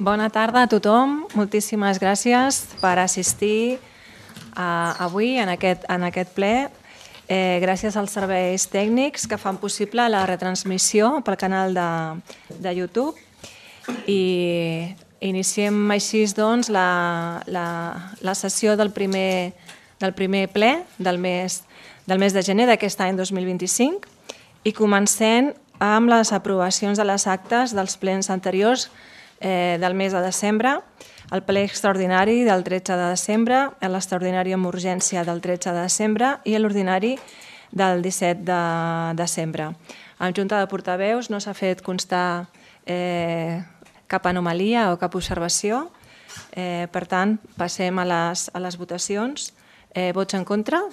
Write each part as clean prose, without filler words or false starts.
Bona tarda a tothom. Moltíssimes gràcies per assistir avui en aquest ple. Gràcies als serveis tècnics que fan possible la retransmissió pel canal de YouTube. I iniciem així doncs la sessió del primer ple del mes de gener d'aquest any 2025 i comencem amb les aprovacions de les actes dels plens anteriors del mes de desembre, el ple extraordinari del 13 de desembre, l'extraordinari amb urgència del 13 de desembre i l'ordinari del 17 de desembre. En Junta de Portaveus no s'ha fet constar cap anomalia o cap observació. Per tant, passem a les votacions. Vots en contra?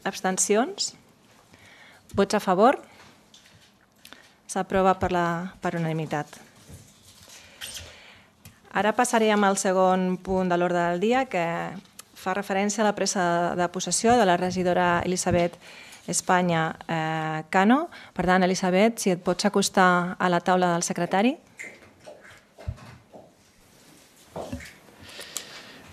Abstencions? Vots a favor? S'aprova per unanimitat. Ara passarem al segon punt de l'ordre del dia, que fa referència a la presa de possessió de la regidora Elisabet Espanya Cano. Per tant, Elisabet, si et pots acostar a la taula del secretari.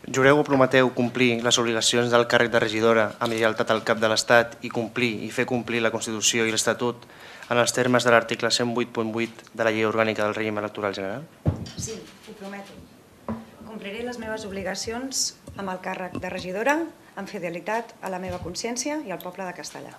Jureu o prometeu complir les obligacions del càrrec de regidora amb lleialtat al cap de l'Estat i complir i fer complir la Constitució i l'Estatut en els termes de l'article 108.8 de la Llei Orgànica del Règim Electoral General? Sí, ho prometo. Compliré les meves obligacions amb el càrrec de regidora, amb fidelitat a la meva consciència i al poble de Castellà.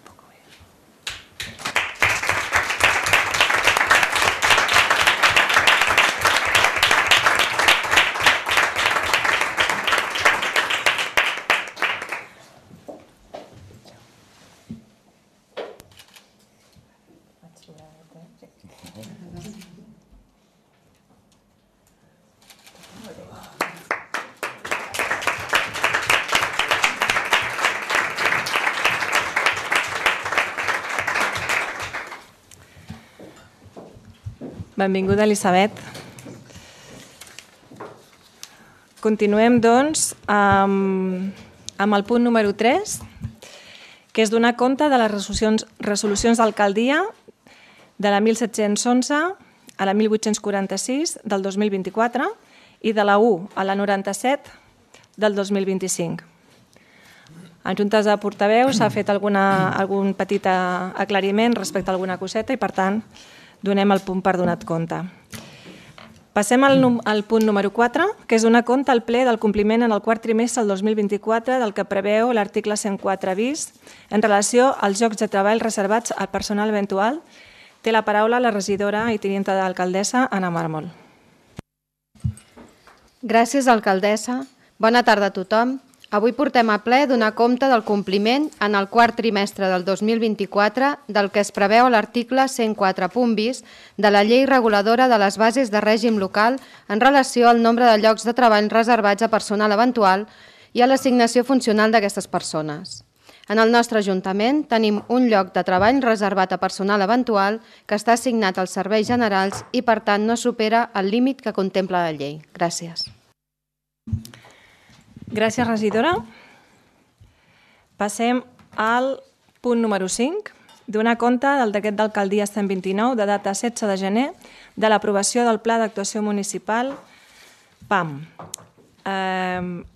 Benvinguda, Elisabet. Continuem, doncs, amb el punt número 3, que és donar compte de les resolucions d'alcaldia de la 1711 a la 1846 del 2024 i de la 1 a la 97 del 2025. En Juntes de Portaveus s'ha fet algun petit aclariment respecte a alguna coseta i, per tant, donem el punt per donat compte. Passem al punt número 4, que és donar compte al ple del compliment en el quart trimestre del 2024 del que preveu l'article 104 bis en relació als llocs de treball reservats al personal eventual. Té la paraula la regidora i tinenta d'alcaldessa, Anna Mármol. Gràcies, alcaldessa. Bona tarda a tothom. Avui portem a ple donar compte del compliment en el quart trimestre del 2024 del que es preveu a l'article 104 bis de la Llei Reguladora de les Bases de Règim Local en relació al nombre de llocs de treball reservats a personal eventual i a l'assignació funcional d'aquestes persones. En el nostre Ajuntament tenim un lloc de treball reservat a personal eventual que està assignat als serveis generals i, per tant, no supera el límit que contempla la llei. Gràcies. Gràcies, regidora. Passem al punt número 5, donar compte del decret d'alcaldia 129 de data 16 de gener de l'aprovació del Pla d'Actuació Municipal PAM.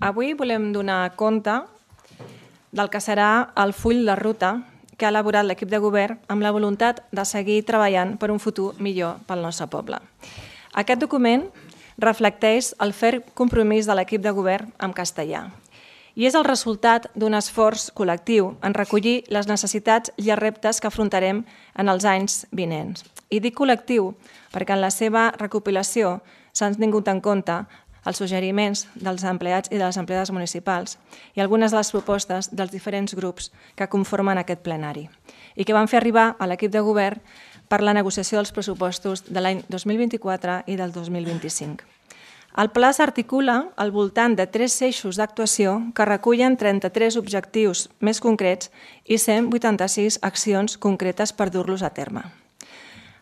Avui volem donar compte del que serà el full de ruta que ha elaborat l'equip de govern amb la voluntat de seguir treballant per un futur millor pel nostre poble. Aquest document reflecteix el ferm compromís de l'equip de govern amb castellà i és el resultat d'un esforç col·lectiu en recollir les necessitats i els reptes que afrontarem en els anys vinents. I dic col·lectiu perquè en la seva recopilació s'han tingut en compte els suggeriments dels empleats i de les empleades municipals i algunes de les propostes dels diferents grups que conformen aquest plenari i que van fer arribar a l'equip de govern per la negociació dels pressupostos de l'any 2024 i del 2025. El pla s'articula al voltant de 3 eixos d'actuació que recullen 33 objectius més concrets i 186 accions concretes per dur-los a terme.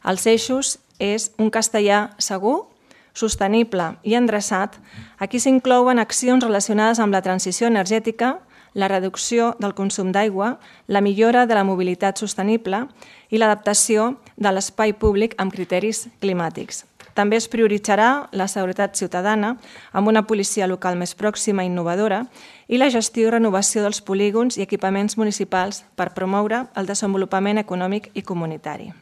Els eixos és un castellà segur, sostenible i endreçat. Aquí s'inclouen accions relacionades amb la transició energètica, la reducció del consum d'aigua, la millora de la mobilitat sostenible i l'adaptació de l'espai públic amb criteris climàtics. també es prioritzarà la seguretat ciutadana amb una policia local més pròxima i innovadora i la gestió i renovació dels polígons i equipaments municipals per promoure el desenvolupament econòmic i comunitari.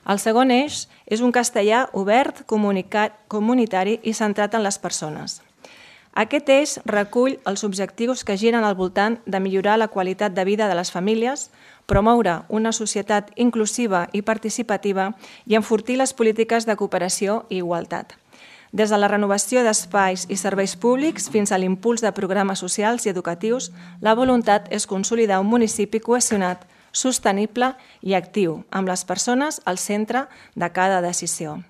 El segon eix és un castellà obert, comunitari i centrat en les persones. Aquest eix recull els objectius que giren al voltant de millorar la qualitat de vida de les famílies, promoure una societat inclusiva i participativa i enfortir les polítiques de cooperació i igualtat. Des de la renovació d'espais i serveis públics fins a l'impuls de programes socials i educatius, la voluntat és consolidar un municipi cohesionat, sostenible i actiu, amb les persones al centre de cada decisió.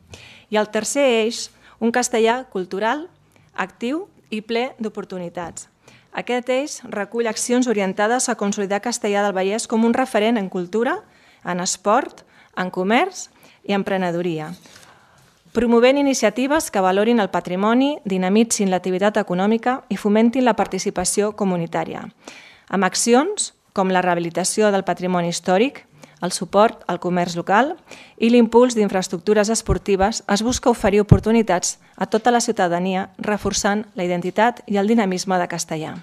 I el tercer eix, un castellà cultural, actiu i ple d'oportunitats. Aquest eix recull accions orientades a consolidar Castellar del Vallès com un referent en cultura, en esport, en comerç i emprenedoria, promovent iniciatives que valorin el patrimoni, dinamitzin l'activitat econòmica i fomentin la participació comunitària, amb accions com la rehabilitació del patrimoni històric, el suport al comerç local i l'impuls d'infraestructures esportives. Es busca oferir oportunitats a tota la ciutadania, reforçant la identitat i el dinamisme de Castellar.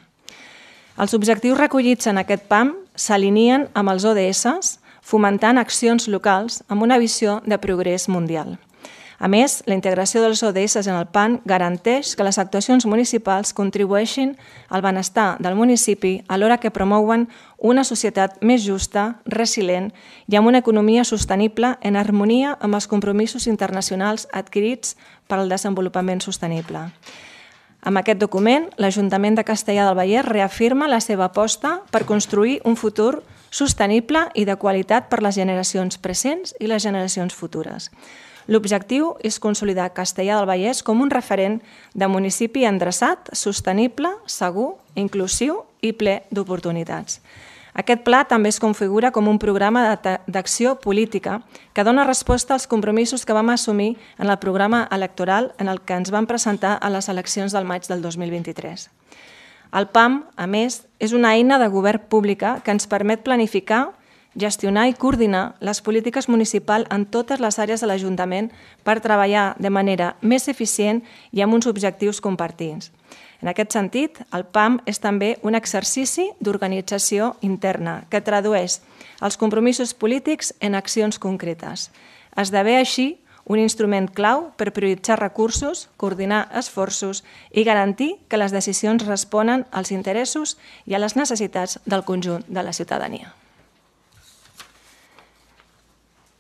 Els objectius recollits en aquest PAM s'alineen amb els ODS, fomentant accions locals amb una visió de progrés mundial. A més, la integració dels ODS en el PAN garanteix que les actuacions municipals contribueixin al benestar del municipi alhora que promouen una societat més justa, resilient i amb una economia sostenible en harmonia amb els compromisos internacionals adquirits per al desenvolupament sostenible. Amb aquest document, l'Ajuntament de Castellar del Vallès reafirma la seva aposta per construir un futur sostenible i de qualitat per les generacions presents i les generacions futures. L'objectiu és consolidar Castellar del Vallès com un referent de municipi endreçat, sostenible, segur, inclusiu i ple d'oportunitats. Aquest pla també es configura com un programa d'acció política que dona resposta als compromisos que vam assumir en el programa electoral en el que ens vam presentar a les eleccions del maig del 2023. El PAM, a més, és una eina de govern pública que ens permet planificar, gestionar i coordinar les polítiques municipals en totes les àrees de l'Ajuntament per treballar de manera més eficient i amb uns objectius compartits. En aquest sentit, el PAM és també un exercici d'organització interna que tradueix els compromisos polítics en accions concretes. Esdevé així un instrument clau per prioritzar recursos, coordinar esforços i garantir que les decisions responen als interessos i a les necessitats del conjunt de la ciutadania.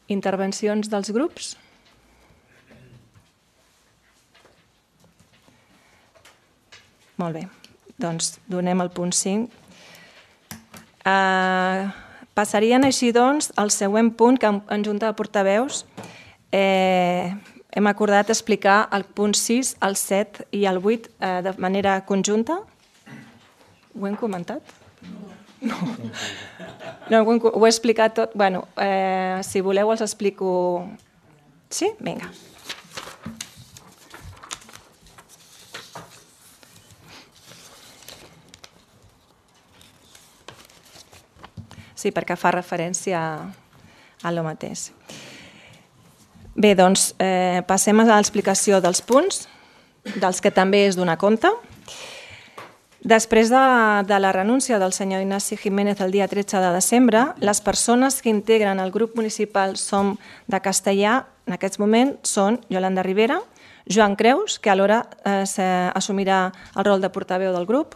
Intervencions dels grups? Molt bé, doncs donem el punt 5. Passarien així doncs al següent punt que en Junta de Portaveus hem acordat explicar el punt 6, el 7 i el 8 de manera conjunta. Ho hem comentat? No, ho he explicat tot. Bé, si voleu els explico... Sí? Vinga. Sí, perquè fa referència a lo mateix. Bé, doncs passem a l'explicació dels punts, dels que també és donar compte. Després de la renúncia del senyor Ignasi Jiménez el dia 13 de desembre, les persones que integren el grup municipal Som de Castellar en aquest moment són Yolanda Rivera, Joan Creus, que alhora assumirà el rol de portaveu del grup,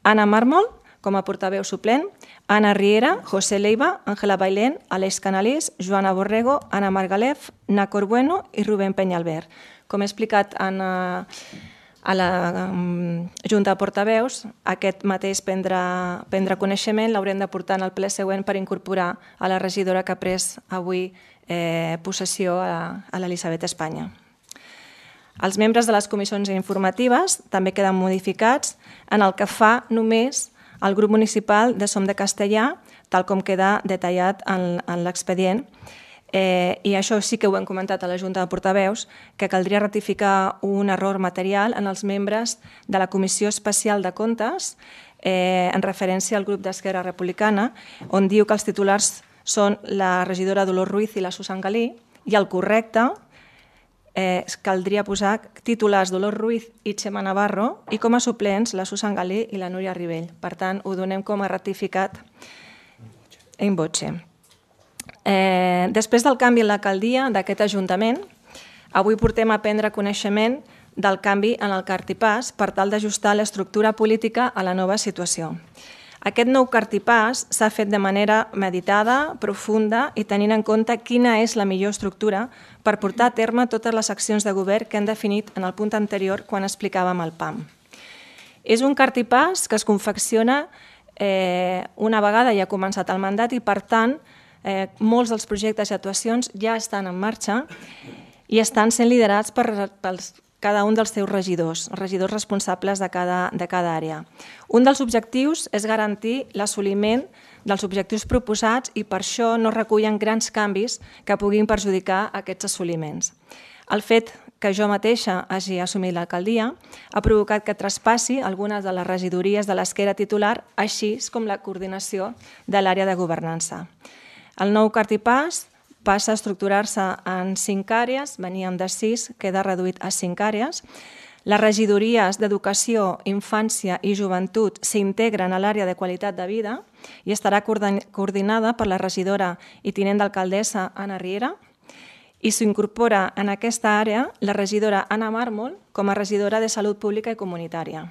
Anna Mármol, com a portaveu suplent, Anna Riera, José Leiva, Ángela Bailén, Aleix Canalís, Joana Borrego, Anna Margalef, Nacor Bueno i Rubén Peñalver. Com he explicat a la Junta de Portaveus, aquest mateix prendre coneixement l'haurem de portar en el ple següent per incorporar a la regidora que ha pres avui possessió a l'Elisabet Espanya. Els membres de les comissions informatives també queden modificats en el que fa només el grup municipal de Som de Castellar, tal com queda detallat en l'expedient. I això sí que ho hem comentat a la Junta de Portaveus, que caldria ratificar un error material en els membres de la Comissió Especial de Comptes en referència al grup d'Esquerra Republicana, on diu que els titulars són la regidora Dolors Ruiz i la Susan Galí, i el correcte caldria posar titulars Dolors Ruiz i Xema Navarro i com a suplents la Susan Galí i la Núria Ribell. Per tant, ho donem com a ratificat in voce. Després del canvi en l'alcaldia d'aquest Ajuntament, avui portem a prendre coneixement del canvi en el cartipàs per tal d'ajustar l'estructura política a la nova situació. Aquest nou cartipàs s'ha fet de manera meditada, profunda i tenint en compte quina és la millor estructura per portar a terme totes les accions de govern que hem definit en el punt anterior quan explicàvem el PAM. És un cartipàs que es confecciona una vegada ja ha començat el mandat i, per tant, molts dels projectes i actuacions ja estan en marxa i estan sent liderats per cada un dels seus regidors responsables de cada àrea. Un dels objectius és garantir l'assoliment dels objectius proposats i per això no recullen grans canvis que puguin perjudicar aquests assoliments. El fet que jo mateixa hagi assumit l'alcaldia ha provocat que traspassi algunes de les regidories de les que era titular, així com la coordinació de l'àrea de governança. El nou cartipàs passa a estructurar-se en 5 àrees, veníem de 6, queda reduït a 5 àrees. Les regidories d'Educació, Infància i Joventut s'integren a l'àrea de qualitat de vida i estarà coordinada per la regidora i tinent d'alcaldessa Anna Riera i s'incorpora en aquesta àrea la regidora Anna Mármol com a regidora de Salut Pública i Comunitària.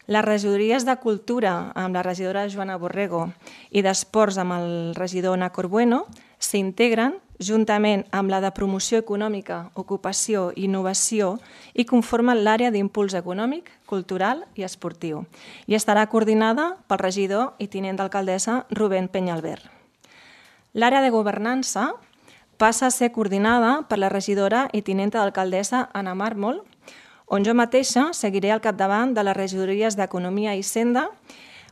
Les regidories de Cultura amb la regidora Joana Borrego i d'Esports amb el regidor Nacor Bueno s'integren juntament amb la de Promoció Econòmica, Ocupació i Innovació i conformen l'àrea d'impuls econòmic, cultural i esportiu i estarà coordinada pel regidor i tinent d'alcaldessa Rubén Peñalver. L'àrea de governança passa a ser coordinada per la regidora i tinenta d'alcaldessa Anna Mármol, on jo mateixa seguiré al capdavant de les regidories d'Economia i Hisenda,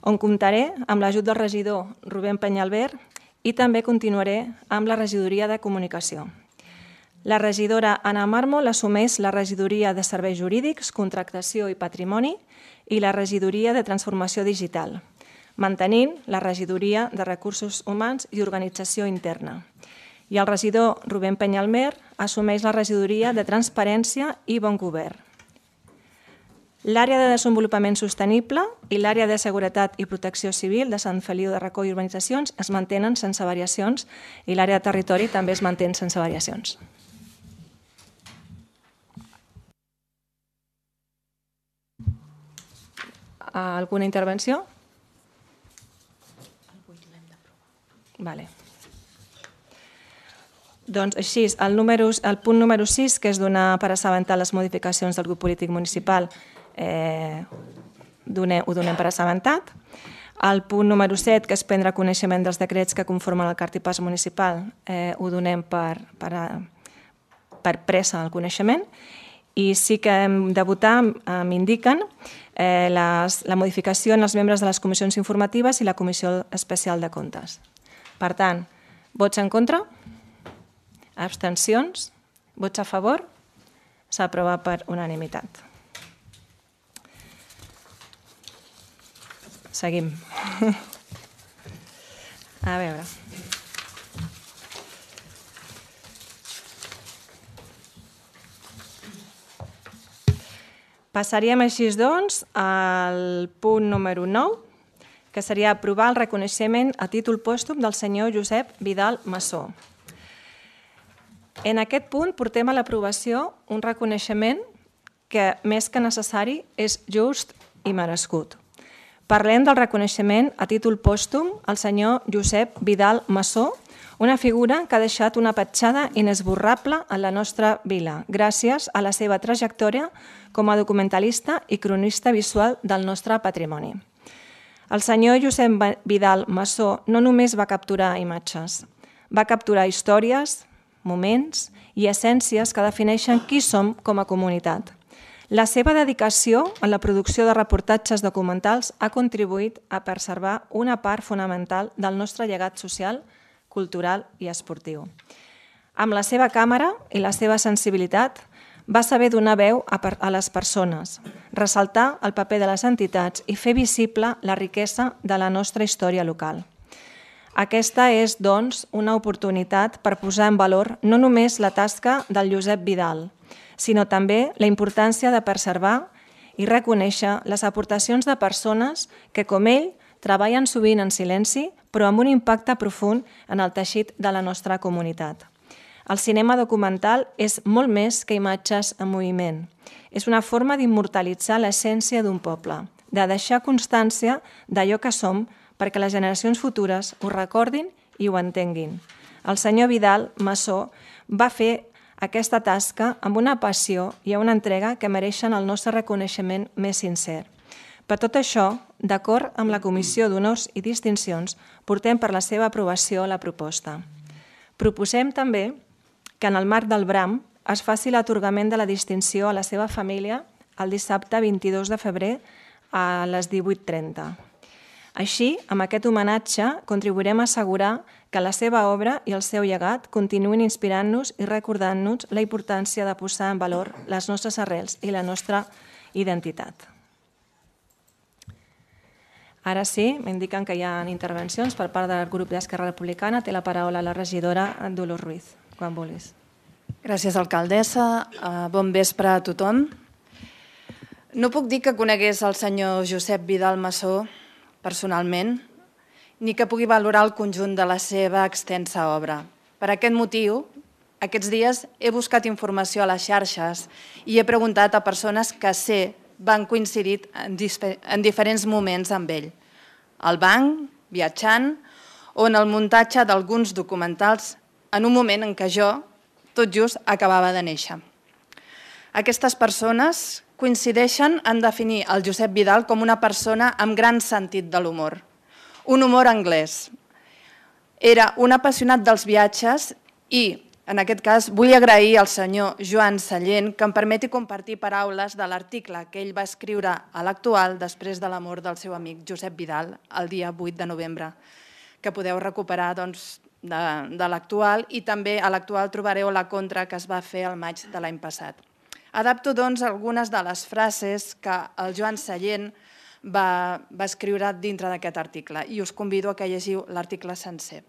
on comptaré amb l'ajut del regidor Rubén Peñalver i també continuaré amb la regidoria de Comunicació. La regidora Anna Mármol assumeix la regidoria de Serveis Jurídics, Contractació i Patrimoni i la regidoria de Transformació Digital, mantenint la regidoria de Recursos Humans i Organització Interna. I el regidor Rubén Peñalver assumeix la regidoria de Transparència i Bon Govern. L'àrea de desenvolupament sostenible i l'àrea de seguretat i protecció civil de Sant Feliu de Racó i urbanitzacions es mantenen sense variacions i l'àrea de territori també es mantén sense variacions. Alguna intervenció? Vale. Doncs així, el punt número 6, que és donar per assabentar les modificacions del grup polític municipal, ho donem per assabentat. El punt número 7, que és prendre coneixement dels decrets que conformen el cartipàs municipal, ho donem per pressa al coneixement. I sí que hem de votar, m'indiquen, la modificació en els membres de les comissions informatives i la Comissió Especial de Comptes. Per tant, vots en contra? Abstencions? Vots a favor? S'aprova per unanimitat. Seguim. A veure. Passaríem així, doncs, al punt número 9, que seria aprovar el reconeixement a títol pòstum del senyor Josep Vidal Massó. En aquest punt portem a l'aprovació un reconeixement que, més que necessari, és just i merescut. Parlem del reconeixement a títol pòstum al senyor Josep Vidal Massó, una figura que ha deixat una petjada inesborrable en la nostra vila, gràcies a la seva trajectòria com a documentalista i cronista visual del nostre patrimoni. El senyor Josep Vidal Massó no només va capturar imatges, va capturar històries, moments i essències que defineixen qui som com a comunitat. La seva dedicació en la producció de reportatges documentals ha contribuït a preservar una part fonamental del nostre llegat social, cultural i esportiu. Amb la seva càmera i la seva sensibilitat va saber donar veu a les persones, ressaltar el paper de les entitats i fer visible la riquesa de la nostra història local. Aquesta és, doncs, una oportunitat per posar en valor no només la tasca del Josep Vidal, sinó també la importància de preservar i reconèixer les aportacions de persones que, com ell, treballen sovint en silenci, però amb un impacte profund en el teixit de la nostra comunitat. El cinema documental és molt més que imatges en moviment. És una forma d'immortalitzar l'essència d'un poble, de deixar constància d'allò que som perquè les generacions futures ho recordin i ho entenguin. El senyor Vidal Masó va fer aquesta tasca amb una passió i una entrega que mereixen el nostre reconeixement més sincer. Per tot això, d'acord amb la Comissió d'Honors i Distincions, portem per la seva aprovació la proposta. Proposem també que en el marc del BRAM es faci l'atorgament de la distinció a la seva família el dissabte 22 de febrer a les 18:30. Així, amb aquest homenatge, contribuirem a assegurar que la seva obra i el seu llegat continuïn inspirant-nos i recordant-nos la importància de posar en valor les nostres arrels i la nostra identitat. Ara sí, m'indiquen que hi ha intervencions per part del grup d'Esquerra Republicana. Té la paraula la regidora Dolors Ruiz, quan vulguis. Gràcies, alcaldessa. Bon vespre a tothom. No puc dir que conegués el senyor Josep Vidal Masó personalment, ni que pugui valorar el conjunt de la seva extensa obra. Per aquest motiu, aquests dies he buscat informació a les xarxes i he preguntat a persones que sé van coincidir en diferents moments amb ell. Al banc, viatjant, o en el muntatge d'alguns documentals en un moment en què jo, tot just, acabava de néixer. Aquestes persones coincideixen en definir el Josep Vidal com una persona amb gran sentit de l'humor. Un humor anglès. Era un apassionat dels viatges i, en aquest cas, vull agrair al senyor Joan Sallent que em permeti compartir paraules de l'article que ell va escriure a l'Actual després de la mort del seu amic Josep Vidal el dia 8 de novembre, que podeu recuperar de l'Actual, i també a l'Actual trobareu la contra que es va fer el maig de l'any passat. Adapto, doncs, algunes de les frases que el Joan Sallent va escriure dintre d'aquest article i us convido a que llegiu l'article sencer.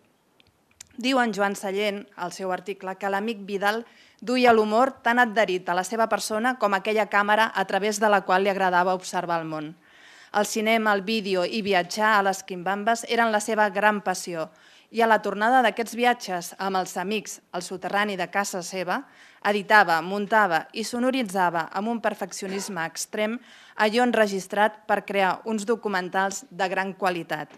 Diu en Joan Sallent, al seu article, que l'amic Vidal duia l'humor tan adherit a la seva persona com aquella càmera a través de la qual li agradava observar el món. El cinema, el vídeo i viatjar a les quimbambes eren la seva gran passió, i a la tornada d'aquests viatges amb els amics al soterrani de casa seva, editava, muntava i sonoritzava amb un perfeccionisme extrem allò enregistrat per crear uns documentals de gran qualitat.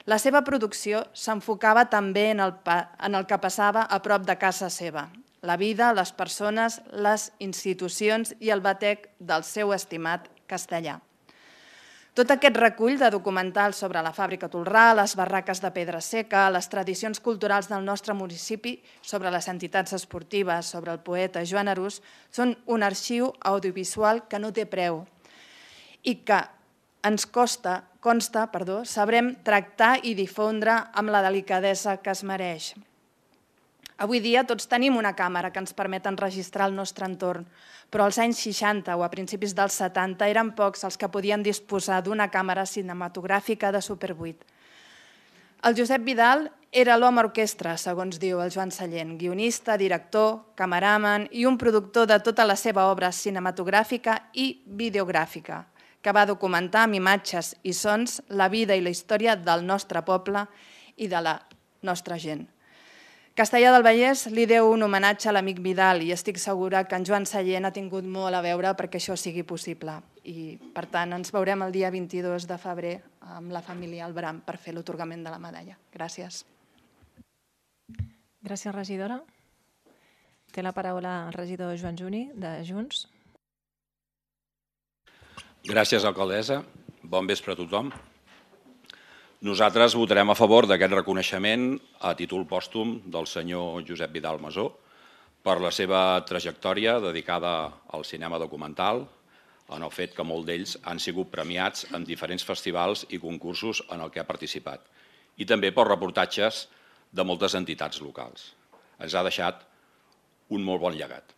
La seva producció s'enfocava també en el que passava a prop de casa seva, la vida, les persones, les institucions i el batec del seu estimat castellà. Tot aquest recull de documentals sobre la fàbrica Tolrà, les barraques de pedra seca, les tradicions culturals del nostre municipi, sobre les entitats esportives, sobre el poeta Joan Arús, són un arxiu audiovisual que no té preu i que ens consta, sabrem tractar i difondre amb la delicadesa que es mereix. Avui dia tots tenim una càmera que ens permet enregistrar el nostre entorn, però als anys 60 o a principis dels 70 eren pocs els que podien disposar d'una càmera cinematogràfica de Super 8. El Josep Vidal era l'home orquestra, segons diu el Joan Sallent, guionista, director, cameraman i un productor de tota la seva obra cinematogràfica i videogràfica, que va documentar amb imatges i sons la vida i la història del nostre poble i de la nostra gent. Castellar del Vallès li deu un homenatge a l'amic Vidal i estic segura que en Joan Sallent ha tingut molt a veure perquè això sigui possible. I, per tant, ens veurem el dia 22 de febrer amb la família Albram per fer l'atorgament de la medalla. Gràcies. Gràcies, regidora. Té la paraula el regidor Joan Juni, de Junts. Gràcies, alcaldessa. Bon vespre a tothom. Nosaltres votarem a favor d'aquest reconeixement a títol pòstum del senyor Josep Vidal Masó per la seva trajectòria dedicada al cinema documental, en el fet que molts d'ells han sigut premiats en diferents festivals i concursos en el que ha participat, i també pels reportatges de moltes entitats locals. Ens ha deixat un molt bon llegat.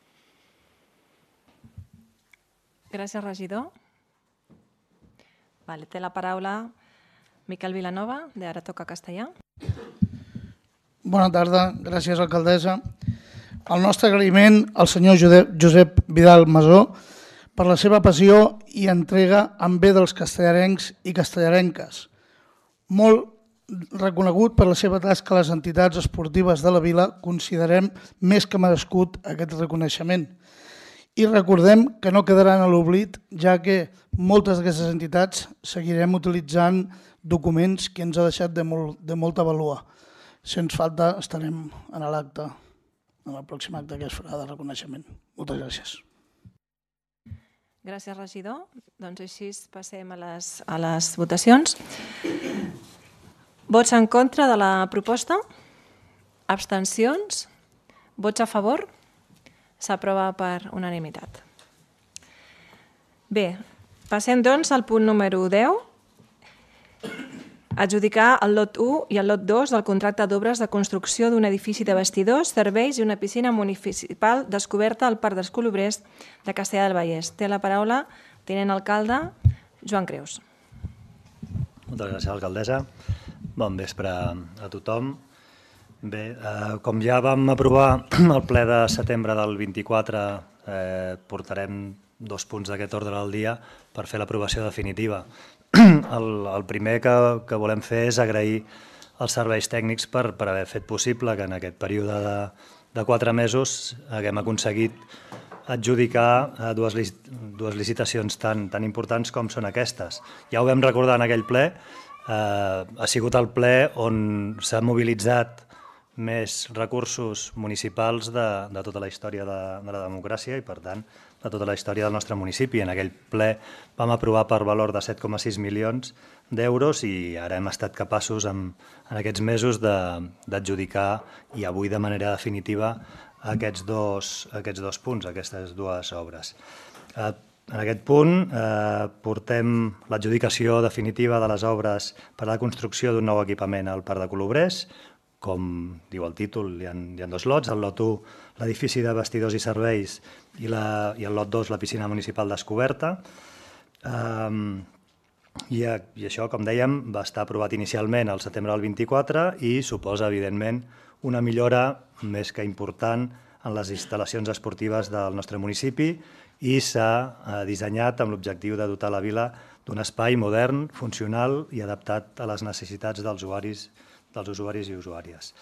Gràcies, regidor. Té la paraula Miquel Vilanova, de Ara Toca Castellà. Bona tarda, gràcies alcaldessa. El nostre agraïment al senyor Josep Vidal Masó per la seva passió i entrega en bé dels castellarencs i castellarenques. Molt reconegut per la seva tasca a les entitats esportives de la vila, considerem més que merescut aquest reconeixement. I recordem que no quedaran a l'oblit, ja que moltes d'aquestes entitats seguirem utilitzant documents que ens ha deixat de molta vàlua. Si ens falta, estarem en l'acte, en el pròxim acte que es farà de reconeixement. Moltes gràcies. Gràcies, regidor. Doncs així passem a les votacions. Vots en contra de la proposta? Abstencions? Vots a favor? S'aprova per unanimitat. Bé, passem doncs al punt número 10. Adjudicar el lot 1 i el lot 2 del contracte d'obres de construcció d'un edifici de vestidors, serveis i una piscina municipal descoberta al Parc dels Colobrers de Castellar del Vallès. Té la paraula tinent alcalde Joan Creus. Moltes gràcies, alcaldessa. Bon vespre a tothom. Bé, com ja vam aprovar el ple de setembre del 24, portarem 2 punts d'aquest ordre del dia per fer l'aprovació definitiva. El primer que volem fer és agrair als serveis tècnics per haver fet possible que en aquest període de 4 mesos haguem aconseguit adjudicar dues licitacions tan importants com són aquestes. Ja ho vam recordar en aquell ple, ha sigut el ple on s'ha mobilitzat més recursos municipals de tota la història de la democràcia i, per tant, de tota la història del nostre municipi. En aquell ple vam aprovar per valor de 7,6 milions d'euros i ara hem estat capaços en aquests mesos d'adjudicar i avui de manera definitiva aquests dos punts, aquestes dues obres. En aquest punt portem l'adjudicació definitiva de les obres per a la construcció d'un nou equipament al Parc de Colobrers. Com diu el títol, hi ha 2 lots. El lot 1, l'edifici de vestidors i serveis, i el lot 2, la piscina municipal descoberta. I això, com dèiem, va estar aprovat inicialment al setembre del 24 i suposa, evidentment, una millora més que important en les instal·lacions esportives del nostre municipi i s'ha dissenyat amb l'objectiu de dotar la vila d'un espai modern, funcional i adaptat a les necessitats dels usuaris i usuàries.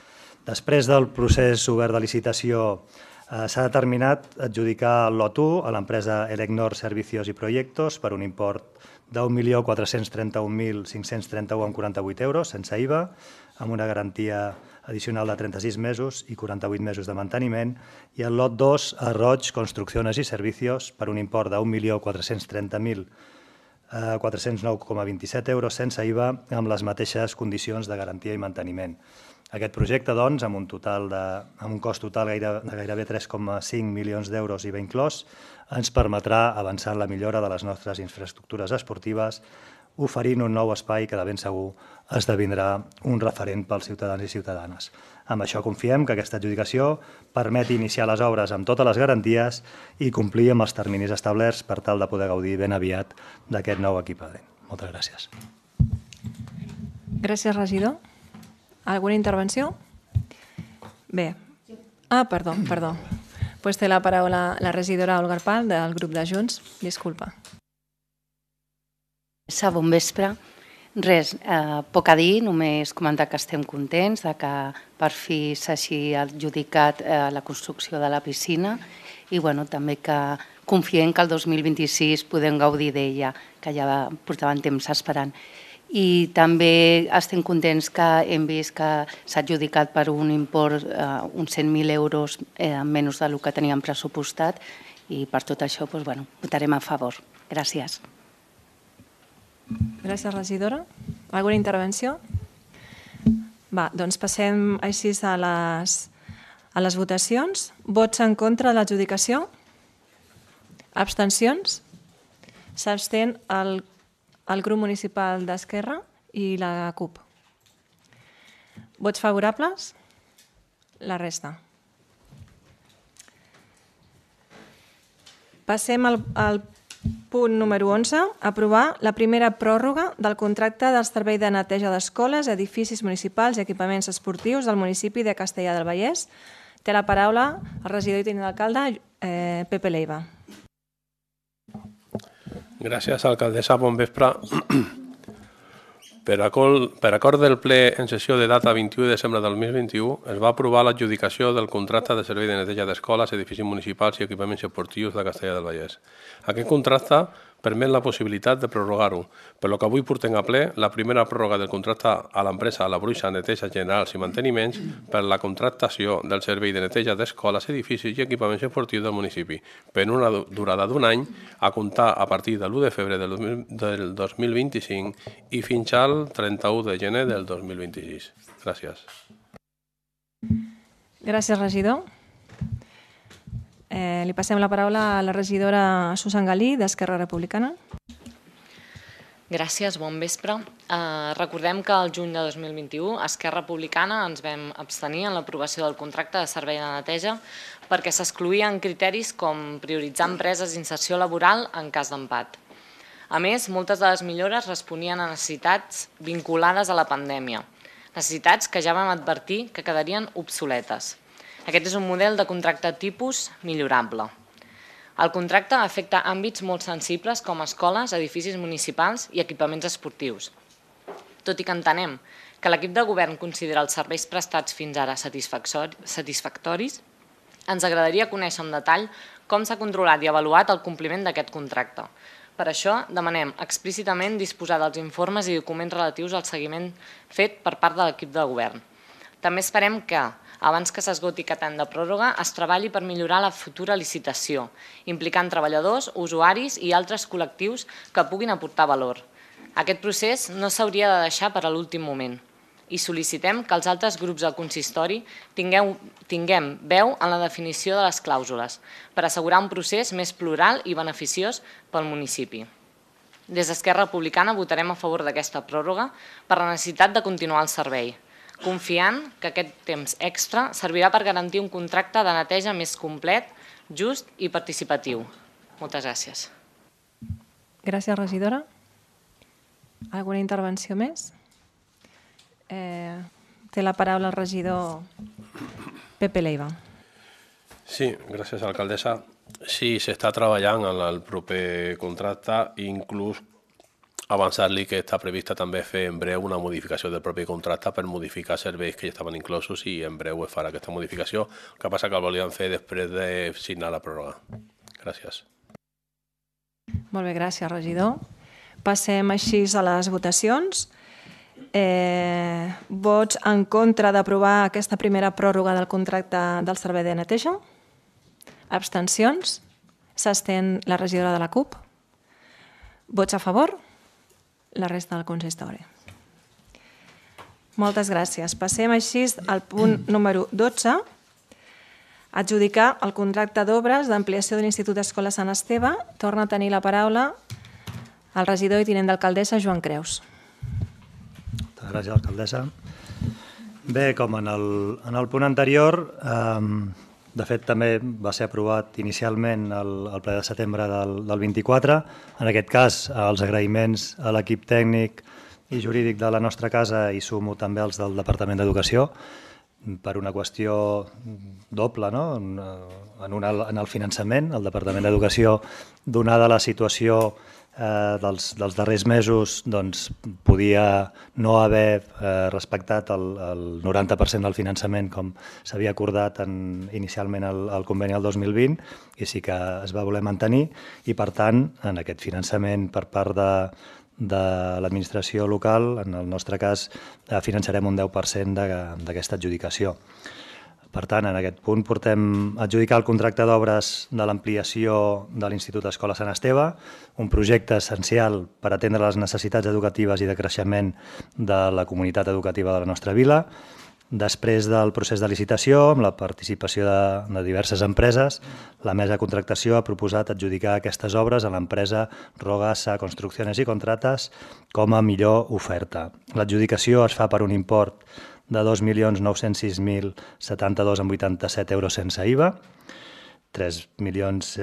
Després del procés obert de licitació s'ha determinat adjudicar el lot 1 a l'empresa Elecnor Servicios y Proyectos per un import de 1.431.531,48 euros, sense IVA, amb una garantia addicional de 36 mesos i 48 mesos de manteniment, i el lot 2 a Roig Construcciones y Servicios per un import de 1.430.409,27 euros sense IVA, amb les mateixes condicions de garantia i manteniment. Aquest projecte, doncs, amb un cost total de gairebé 3,5 milions d'euros IVA inclòs, ens permetrà avançar en la millora de les nostres infraestructures esportives, oferint un nou espai que de ben segur esdevindrà un referent pels ciutadans i ciutadanes. Amb això confiem que aquesta adjudicació permeti iniciar les obres amb totes les garanties i complir amb els terminis establerts per tal de poder gaudir ben aviat d'aquest nou equipament. Moltes gràcies. Gràcies, regidor. Alguna intervenció? Bé. Perdó. Pues té la paraula la regidora Olga Arpal del grup de Junts. Disculpa. Bon vespre. Res, poc a dir, només comentar que estem contents de que per fi s'hagi adjudicat la construcció de la piscina i també que confiem que el 2026 podem gaudir d'ella, que ja portaven temps esperant. I també estem contents que hem vist que s'ha adjudicat per un import uns 100.000 euros menys del que teníem pressupostat i per tot això votarem a favor. Gràcies. Gràcies, regidora. Alguna intervenció? Doncs passem així a les votacions. Vots en contra de l'adjudicació? Abstencions? S'abstén el grup municipal d'Esquerra i la CUP. Vots favorables? La resta. Passem al Punt número 11. Aprovar la primera pròrroga del contracte del servei de neteja d'escoles, edificis municipals i equipaments esportius del municipi de Castellar del Vallès. Té la paraula el regidor i tinent d'alcalde, Pepe Leiva. Gràcies, alcaldessa. Bon vespre. Per acord del ple en sessió de data 21 de desembre del 2021, es va aprovar l'adjudicació del contracte de servei de neteja d'escoles, edificis municipals i equipaments esportius de Castellar del Vallès. Aquest contracte permet la possibilitat de prorrogar-ho, per lo que avui portem a ple la primera pròrroga del contracte a l'empresa La Bruixa Neteja Generals i Manteniments per la contractació del servei de neteja d'escoles, edificis i equipaments esportius del municipi, per una durada d'un any, a comptar a partir de l'1 de febrer del 2025 i fins al 31 de gener del 2026. Gràcies. Gràcies, regidor. Li passem la paraula a la regidora Susan Galí, d'Esquerra Republicana. Gràcies, bon vespre. Recordem que el juny de 2021 a Esquerra Republicana ens vam abstenir en l'aprovació del contracte de servei de neteja perquè s'excloïen criteris com prioritzar empreses d'inserció laboral en cas d'empat. A més, moltes de les millores responien a necessitats vinculades a la pandèmia, necessitats que ja vam advertir que quedarien obsoletes. Aquest és un model de contracte tipus millorable. El contracte afecta àmbits molt sensibles com escoles, edificis municipals i equipaments esportius. Tot i que entenem que l'equip de govern considera els serveis prestats fins ara satisfactoris, ens agradaria conèixer en detall com s'ha controlat i avaluat el compliment d'aquest contracte. Per això, demanem explícitament disposar dels informes i documents relatius al seguiment fet per part de l'equip de govern. També esperem que, abans que s'esgoti aquest any de pròrroga, es treballi per millorar la futura licitació, implicant treballadors, usuaris i altres col·lectius que puguin aportar valor. Aquest procés no s'hauria de deixar per a l'últim moment i sol·licitem que els altres grups del consistori tinguem veu en la definició de les clàusules per assegurar un procés més plural i beneficiós pel municipi. Des d'Esquerra Republicana votarem a favor d'aquesta pròrroga per la necessitat de continuar el servei, confiant que aquest temps extra servirà per garantir un contracte de neteja més complet, just i participatiu. Moltes gràcies. Gràcies, regidora. Alguna intervenció més? Té la paraula el regidor Pepe Leiva. Sí, gràcies, alcaldessa. Sí, s'està treballant en el proper contracte, inclús avançar-li que està prevista també fer en breu una modificació del propi contracte per modificar serveis que ja estaven inclosos i en breu es farà aquesta modificació. El que passa que el volíem fer després de signar la pròrroga. Gràcies. Molt bé, gràcies, regidor. Passem així a les votacions. Vots en contra d'aprovar aquesta primera pròrroga del contracte del servei de neteja? Abstencions? S'abstén la regidora de la CUP? Vots a favor? La resta del consistori. Moltes gràcies. Passem així al punt número 12. Adjudicar el contracte d'obres d'ampliació de l'Institut d'Escola Sant Esteve. Torna a tenir la paraula el regidor i tinent d'alcaldessa Joan Creus. Moltes gràcies, alcaldessa. Bé, com en el punt anterior, de fet també va ser aprovat inicialment el ple de setembre del 24. En aquest cas, els agraïments a l'equip tècnic i jurídic de la nostra casa i sumo també els del Departament d'Educació per una qüestió doble, no? En el finançament. El Departament d'Educació, donada la situació dels darrers mesos, podia no haver respectat el 90% del finançament com s'havia acordat inicialment al conveni del 2020 i sí que es va voler mantenir i, per tant, en aquest finançament per part de l'administració local, en el nostre cas, finançarem un 10% d'aquesta adjudicació. Per tant, en aquest punt portem a adjudicar el contracte d'obres de l'ampliació de l'Institut d'Escola Sant Esteve, un projecte essencial per atendre les necessitats educatives i de creixement de la comunitat educativa de la nostra vila. Després del procés de licitació, amb la participació de diverses empreses, la mesa de contractació ha proposat adjudicar aquestes obres a l'empresa Rogasa Construcciones y Contratas com a millor oferta. L'adjudicació es fa per un import de 2.906.072,87 euros sense IVA, 3,5 milions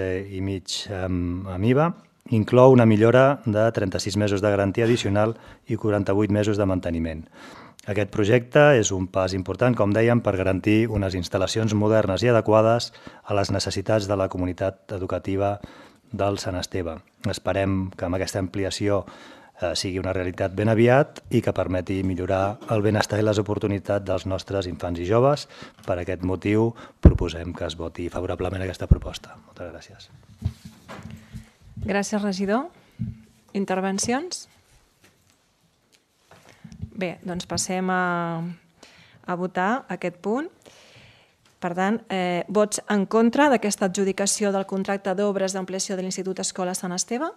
amb IVA, inclou una millora de 36 mesos de garantia addicional i 48 mesos de manteniment. Aquest projecte és un pas important, com dèiem, per garantir unes instal·lacions modernes i adequades a les necessitats de la comunitat educativa del Sant Esteve. Esperem que amb aquesta ampliació sigui una realitat ben aviat i que permeti millorar el benestar i les oportunitats dels nostres infants i joves. Per aquest motiu proposem que es voti favorablement aquesta proposta. Moltes gràcies. Gràcies, regidor. Intervencions? Bé, doncs passem a votar aquest punt. Per tant, vots en contra d'aquesta adjudicació del contracte d'obres d'ampliació de l'Institut Escola Sant Esteve?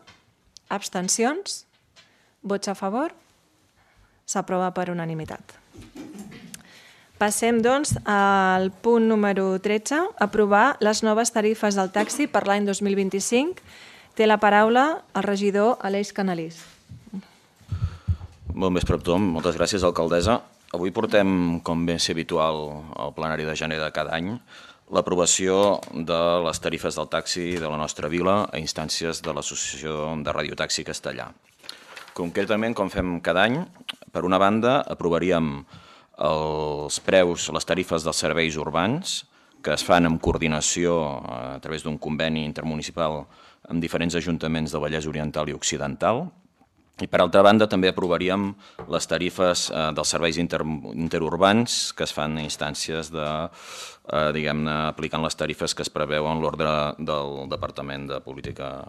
Abstencions? Vots a favor? S'aprova per unanimitat. Passem, doncs, al punt número 13, aprovar les noves tarifes del taxi per l'any 2025. Té la paraula el regidor Aleix Canalís. Bon vespre a tothom. Moltes gràcies, alcaldessa. Avui portem, com bé és habitual al plenari de gener de cada any, l'aprovació de les tarifes del taxi de la nostra vila a instàncies de l'Associació de Radiotaxi Castellà. Concretament, com fem cada any, per una banda, aprovaríem els preus, les tarifes dels serveis urbans, que es fan en coordinació a través d'un conveni intermunicipal amb diferents ajuntaments de Vallès Oriental i Occidental. I, per altra banda, també aprovaríem les tarifes dels serveis interurbans que es fan a instàncies de, diguem-ne, aplicant les tarifes que es preveuen l'ordre del Departament de Política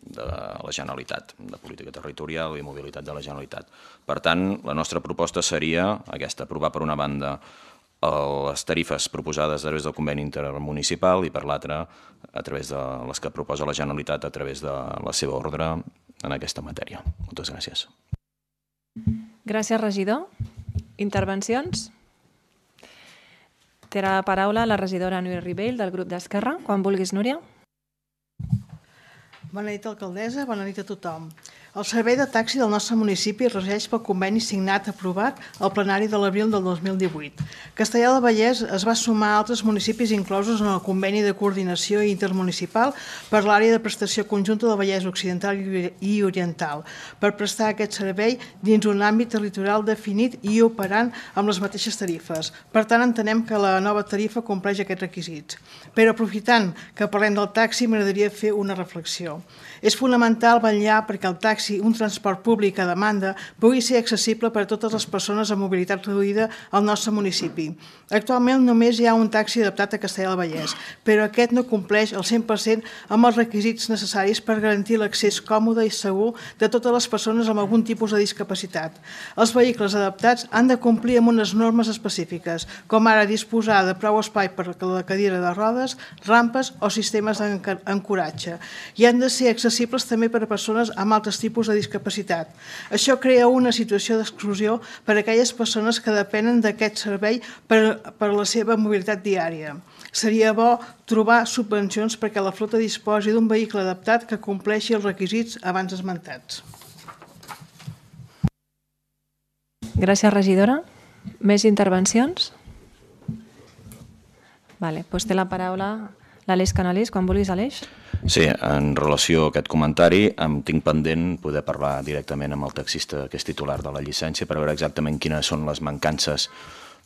de la Generalitat, de Política Territorial i Mobilitat de la Generalitat. Per tant, la nostra proposta seria aquesta, aprovar per una banda les tarifes proposades a través del conveni intermunicipal i per l'altra a través de les que proposa la Generalitat a través de la seva ordre en aquesta matèria. Moltes gràcies. Gràcies, regidor. Intervencions? Té la paraula la regidora Núria Ribell del grup d'Esquerra. Quan vulguis, Núria. Bona nit, alcaldessa. Bona nit a tothom. El servei de taxi del nostre municipi es regeix pel conveni signat aprovat al plenari de l'abril del 2018. Castellar del Vallès es va sumar a altres municipis inclosos en el conveni de coordinació intermunicipal per l'àrea de prestació conjunta del Vallès Occidental i Oriental per prestar aquest servei dins un àmbit territorial definit i operant amb les mateixes tarifes. Per tant, entenem que la nova tarifa compleix aquests requisits. Però aprofitant que parlem del taxi, m'agradaria fer una reflexió. És fonamental vetllar perquè el taxi, un transport públic a demanda, pugui ser accessible per a totes les persones amb mobilitat reduïda al nostre municipi. Actualment només hi ha un taxi adaptat a Castellar del Vallès, però aquest no compleix al 100% amb els requisits necessaris per garantir l'accés còmode i segur de totes les persones amb algun tipus de discapacitat. Els vehicles adaptats han de complir amb unes normes específiques, com ara disposar de prou espai per a la cadira de rodes, rampes o sistemes d'ancoratge, i han de ser accessibles també per a persones amb altres tipus de discapacitat. Això crea una situació d'exclusió per a aquelles persones que depenen d'aquest servei per a la seva mobilitat diària. Seria bo trobar subvencions perquè la flota disposi d'un vehicle adaptat que compleixi els requisits abans esmentats. Gràcies, regidora. Més intervencions? Doncs té la paraula l'Aleix Canalís. Quan vulguis, Aleix. Sí, en relació a aquest comentari, em tinc pendent poder parlar directament amb el taxista que és titular de la llicència per veure exactament quines són les mancances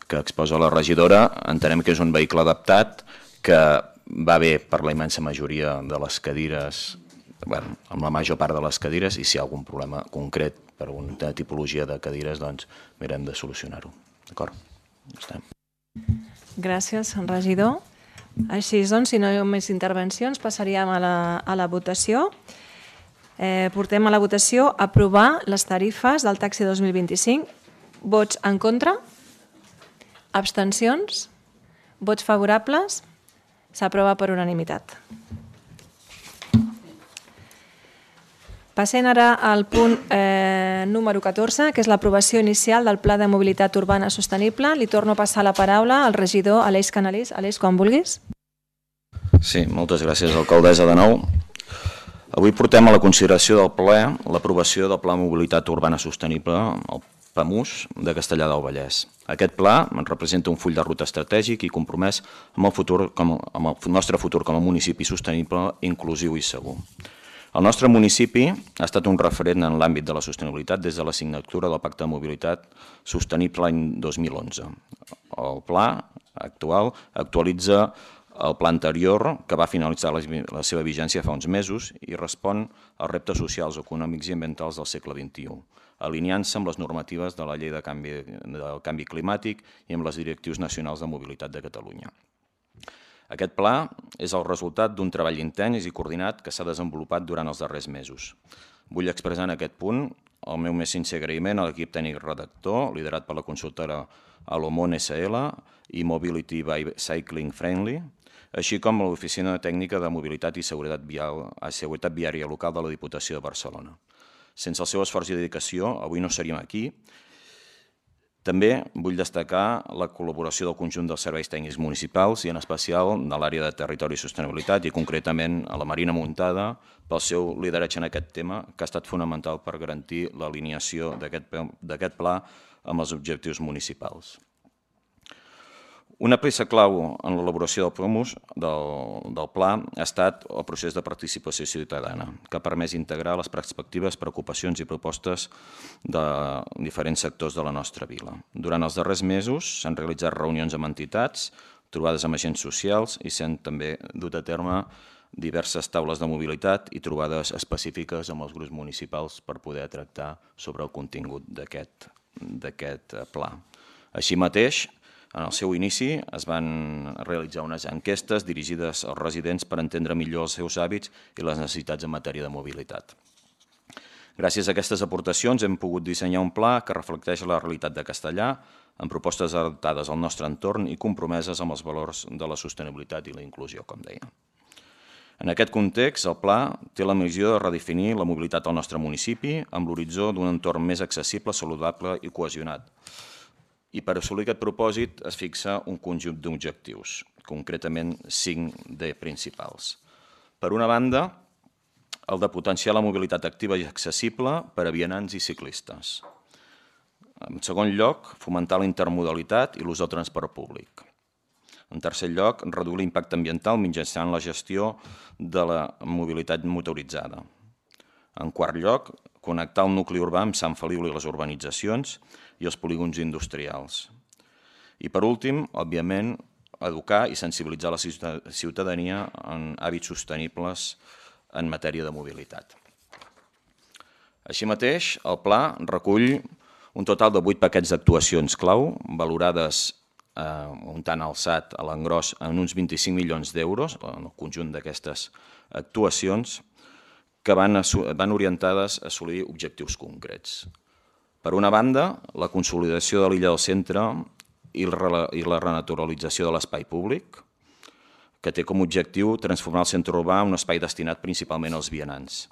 que exposa la regidora. Entenem que és un vehicle adaptat que va bé per la immensa majoria de les cadires, amb la major part de les cadires, i si hi ha algun problema concret per una tipologia de cadires, doncs mirem de solucionar-ho. D'acord? Gràcies, regidor. Així doncs, si no hi ha més intervencions, passaríem a la votació. Portem a la votació aprovar les tarifes del taxi 2025. Vots en contra? Abstencions? Vots favorables? S'aprova per unanimitat. Passem ara al punt número 14, que és l'aprovació inicial del Pla de Mobilitat Urbana Sostenible. Li torno a passar la paraula al regidor Aleix Canalís. Aleix, quan vulguis. Sí, moltes gràcies, alcaldessa, de nou. Avui portem a la consideració del ple l'aprovació del Pla de Mobilitat Urbana Sostenible, el PAMUS, de Castellar del Vallès. Aquest pla representa un full de ruta estratègic i compromès amb el nostre futur com a municipi sostenible, inclusiu i segur. El nostre municipi ha estat un referent en l'àmbit de la sostenibilitat des de la signatura del Pacte de Mobilitat Sostenible l'any 2011. El pla actual actualitza el pla anterior, que va finalitzar la seva vigència fa uns mesos i respon als reptes socials, econòmics i ambientals del segle XXI, alineant-se amb les normatives de la Llei del Canvi Climàtic i amb les directrius nacionals de mobilitat de Catalunya. Aquest pla és el resultat d'un treball intens i coordinat que s'ha desenvolupat durant els darrers mesos. Vull expressar en aquest punt el meu més sincer agraïment a l'equip tècnic redactor, liderat per la consultora Alomon SL i Mobility by Cycling Friendly, així com a l'Oficina Tècnica de Mobilitat i Seguretat Viària Local de la Diputació de Barcelona. Sense el seu esforç i dedicació, avui no seríem aquí. També vull destacar la col·laboració del conjunt dels serveis tècnics municipals i en especial de l'àrea de territori i sostenibilitat i concretament a la Marina Muntada pel seu lideratge en aquest tema que ha estat fonamental per garantir l'alineació d'aquest pla amb els objectius municipals. Una peça clau en l'elaboració del pla ha estat el procés de participació ciutadana, que ha permès integrar les perspectives, preocupacions i propostes de diferents sectors de la nostra vila. Durant els darrers mesos s'han realitzat reunions amb entitats, trobades amb agents socials i s'han també dut a terme diverses taules de mobilitat i trobades específiques amb els grups municipals per poder tractar sobre el contingut d'aquest pla. Així mateix, en el seu inici es van realitzar unes enquestes dirigides als residents per entendre millor els seus hàbits i les necessitats en matèria de mobilitat. Gràcies a aquestes aportacions hem pogut dissenyar un pla que reflecteix la realitat de Castellà, amb propostes adaptades al nostre entorn i compromeses amb els valors de la sostenibilitat i la inclusió, com deia. En aquest context, el pla té la missió de redefinir la mobilitat al nostre municipi amb l'horitzó d'un entorn més accessible, saludable i cohesionat. I per assolir aquest propòsit es fixa un conjunt d'objectius, concretament 5 principals. Per una banda, el de potenciar la mobilitat activa i accessible per a vianants i ciclistes. En segon lloc, fomentar la intermodalitat i l'ús del transport públic. En tercer lloc, reduir l'impacte ambiental mitjançant la gestió de la mobilitat motoritzada. En quart lloc, connectar el nucli urbà amb Sant Feliu i les urbanitzacions i els polígons industrials. I per últim, òbviament, educar i sensibilitzar la ciutadania en hàbits sostenibles en matèria de mobilitat. Així mateix, el pla recull un total de 8 paquets d'actuacions clau, valorades un tant alçat a l'engròs en uns 25 milions d'euros, en el conjunt d'aquestes actuacions, que van orientades a assolir objectius concrets. Per una banda, la consolidació de l'illa del centre i la renaturalització de l'espai públic, que té com a objectiu transformar el centre urbà en un espai destinat principalment als vianants.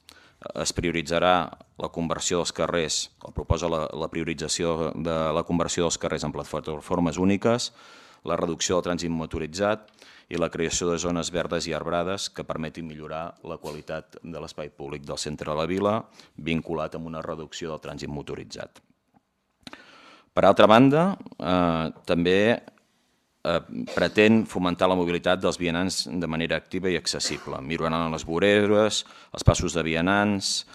Es prioritzarà la conversió dels carrers, o proposa la priorització de la conversió dels carrers en plataformes úniques, la reducció del trànsit motoritzat i la creació de zones verdes i arbrades que permetin millorar la qualitat de l'espai públic del centre de la vila, vinculat amb una reducció del trànsit motoritzat. Per altra banda, també pretén fomentar la mobilitat dels vianants de manera activa i accessible, millorant les voreres, els passos de vianants,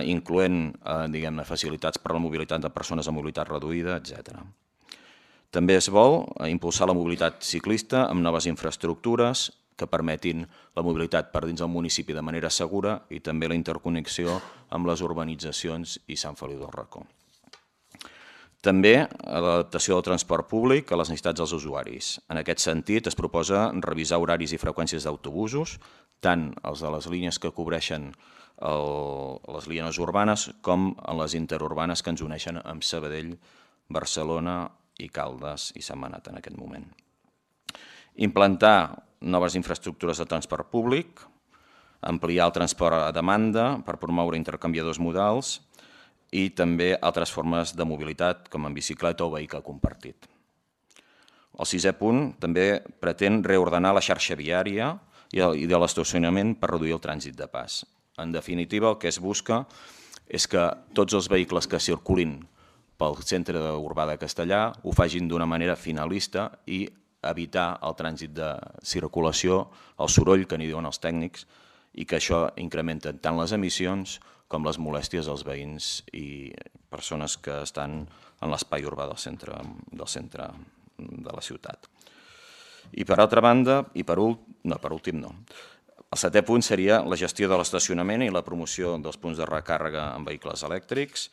incloent facilitats per a la mobilitat de persones amb mobilitat reduïda, etc. També es vol impulsar la mobilitat ciclista amb noves infraestructures que permetin la mobilitat per dins del municipi de manera segura i també la interconnexió amb les urbanitzacions i Sant Feliu del Racó. També l'adaptació del transport públic a les necessitats dels usuaris. En aquest sentit, es proposa revisar horaris i freqüències d'autobusos, tant els de les línies que cobreixen les línies urbanes com en les interurbanes que ens uneixen amb Sabadell, Barcelona i Caldes i Sentmenat en aquest moment. Implantar noves infraestructures de transport públic, ampliar el transport a demanda per promoure intercanviadors modals i també altres formes de mobilitat com en bicicleta o vehicle compartit. El 6è punt també pretén reordenar la xarxa viària i de l'estacionament per reduir el trànsit de pas. En definitiva, el que es busca és que tots els vehicles que circulin pel centre urbà de Castellà ho facin d'una manera finalista i evitar el trànsit de circulació, el soroll que n'hi diuen els tècnics i que això incrementa tant les emissions com les molèsties als veïns i persones que estan en l'espai urbà del centre de la ciutat. I per altra banda, i per últim no, el setè punt seria la gestió de l'estacionament i la promoció dels punts de recàrrega en vehicles elèctrics,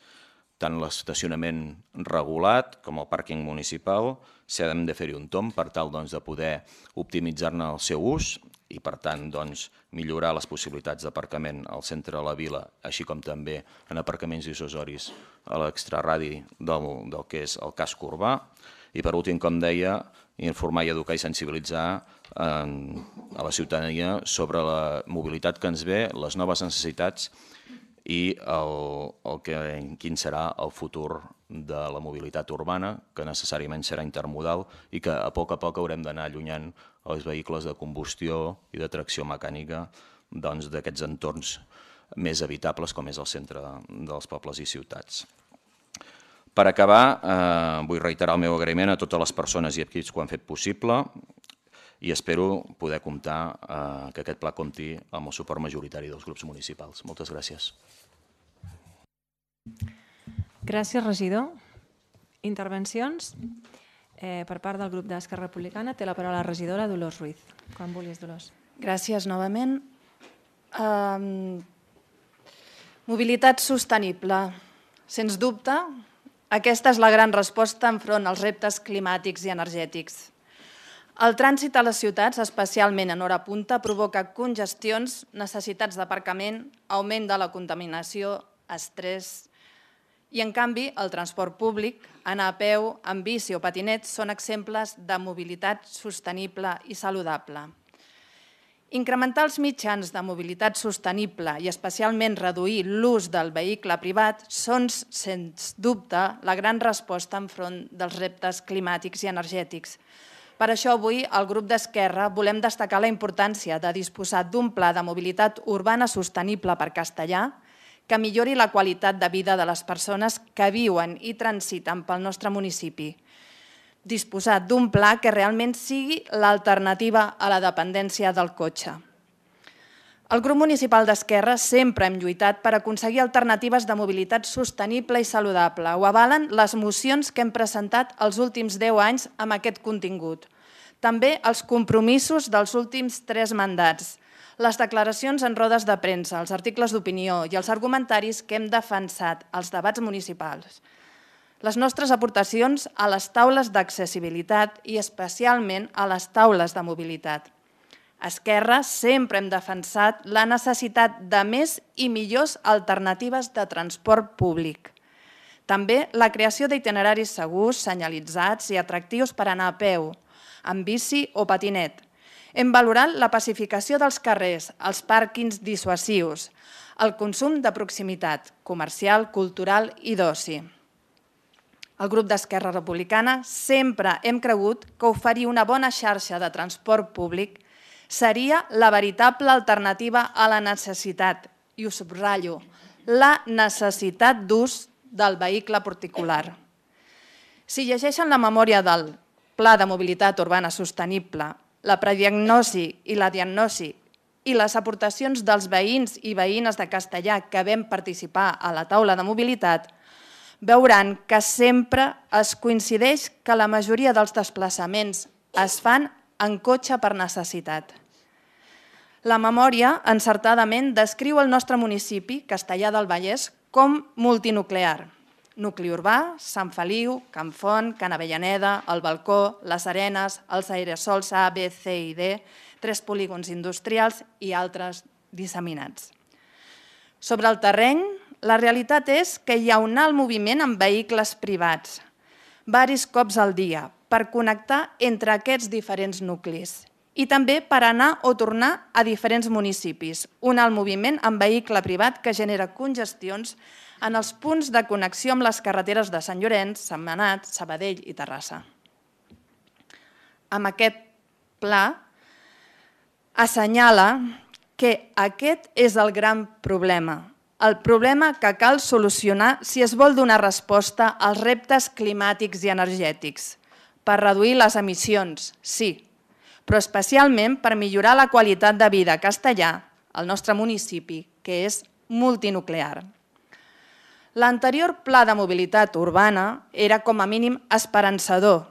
tant l'estacionament regulat com el pàrquing municipal. S'ha de fer-hi un tomb per tal de poder optimitzar-ne el seu ús i, per tant, millorar les possibilitats d'aparcament al centre de la vila, així com també en aparcaments dissuasoris a l'extraradi del que és el casc urbà. I, per últim, com deia, informar i educar i sensibilitzar a la ciutadania sobre la mobilitat que ens ve, les noves necessitats i quin serà el futur de la mobilitat urbana, que necessàriament serà intermodal i que a poc haurem d'anar allunyant els vehicles de combustió i de tracció mecànica d'aquests entorns més habitables com és el centre dels pobles i ciutats. Per acabar, vull reiterar el meu agraïment a totes les persones i equips que ho han fet possible i espero poder comptar que aquest pla compti amb el suport majoritari dels grups municipals. Moltes gràcies. Gràcies, regidor. Intervencions? Per part del grup d'Esquerra Republicana té la paraula la regidora Dolors Ruiz. Quan vulguis, Dolors. Gràcies novament. Mobilitat sostenible. Sens dubte, aquesta és la gran resposta enfront als reptes climàtics i energètics. El trànsit a les ciutats, especialment en hora punta, provoca congestions, necessitats d'aparcament, augment de la contaminació, estrès. I, en canvi, el transport públic, anar a peu, amb bici o patinet, són exemples de mobilitat sostenible i saludable. Incrementar els mitjans de mobilitat sostenible i especialment reduir l'ús del vehicle privat són, sens dubte, la gran resposta enfront dels reptes climàtics i energètics. Per això avui, al grup d'Esquerra, volem destacar la importància de disposar d'un pla de mobilitat urbana sostenible per Castellar que millori la qualitat de vida de les persones que viuen i transiten pel nostre municipi. Disposar d'un pla que realment sigui l'alternativa a la dependència del cotxe. El grup municipal d'Esquerra sempre hem lluitat per aconseguir alternatives de mobilitat sostenible i saludable. Ho avalen les mocions que hem presentat els últims 10 anys amb aquest contingut. També els compromisos dels últims 3 mandats, les declaracions en rodes de premsa, els articles d'opinió i els argumentaris que hem defensat als debats municipals. Les nostres aportacions a les taules d'accessibilitat i especialment a les taules de mobilitat. A Esquerra sempre hem defensat la necessitat de més i millors alternatives de transport públic. També la creació d'itineraris segurs, senyalitzats i atractius per anar a peu, amb bici o patinet. Hem valorat la pacificació dels carrers, els pàrquings dissuasius, el consum de proximitat, comercial, cultural i d'oci. El grup d'Esquerra Republicana sempre hem cregut que oferir una bona xarxa de transport públic seria la veritable alternativa a la necessitat, i ho subratllo, la necessitat d'ús del vehicle particular. Si llegeixen la memòria del Pla de Mobilitat Urbana Sostenible, la prediagnosi i la diagnosi i les aportacions dels veïns i veïnes de Castellar que vam participar a la taula de mobilitat, veuran que sempre es coincideix que la majoria dels desplaçaments es fan en cotxe per necessitat. La memòria, encertadament, descriu el nostre municipi, Castellar del Vallès, com multinuclear. Nucli urbà, Sant Feliu, Can Font, Can Avellaneda, el Balcó, les Arenes, els aerosols A, B, C i D, 3 polígons industrials i altres disseminats. Sobre el terreny, la realitat és que hi ha un alt moviment amb vehicles privats, varis cops al dia, per connectar entre aquests diferents nuclis i també per anar o tornar a diferents municipis. Un alt moviment amb vehicle privat que genera congestions en els punts de connexió amb les carreteres de Sant Llorenç, Sentmenat, Sabadell i Terrassa. Amb aquest pla assenyala que aquest és el gran problema, el problema que cal solucionar si es vol donar resposta als reptes climàtics i energètics, per reduir les emissions, sí, però especialment per millorar la qualitat de vida a Castellar, al nostre municipi, que és multinuclear. L'anterior pla de mobilitat urbana era com a mínim esperançador.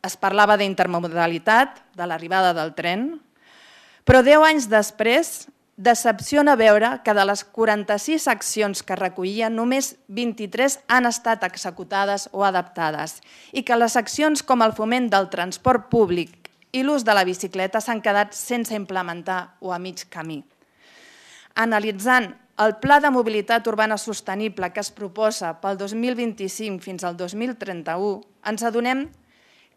Es parlava d'intermodalitat, de l'arribada del tren, però 10 anys després decepciona veure que de les 46 accions que recollia, només 23 han estat executades o adaptades i que les accions com el foment del transport públic i l'ús de la bicicleta s'han quedat sense implementar o a mig camí. Analitzant el Pla de Mobilitat Urbana Sostenible que es proposa pel 2025 fins al 2031, ens adonem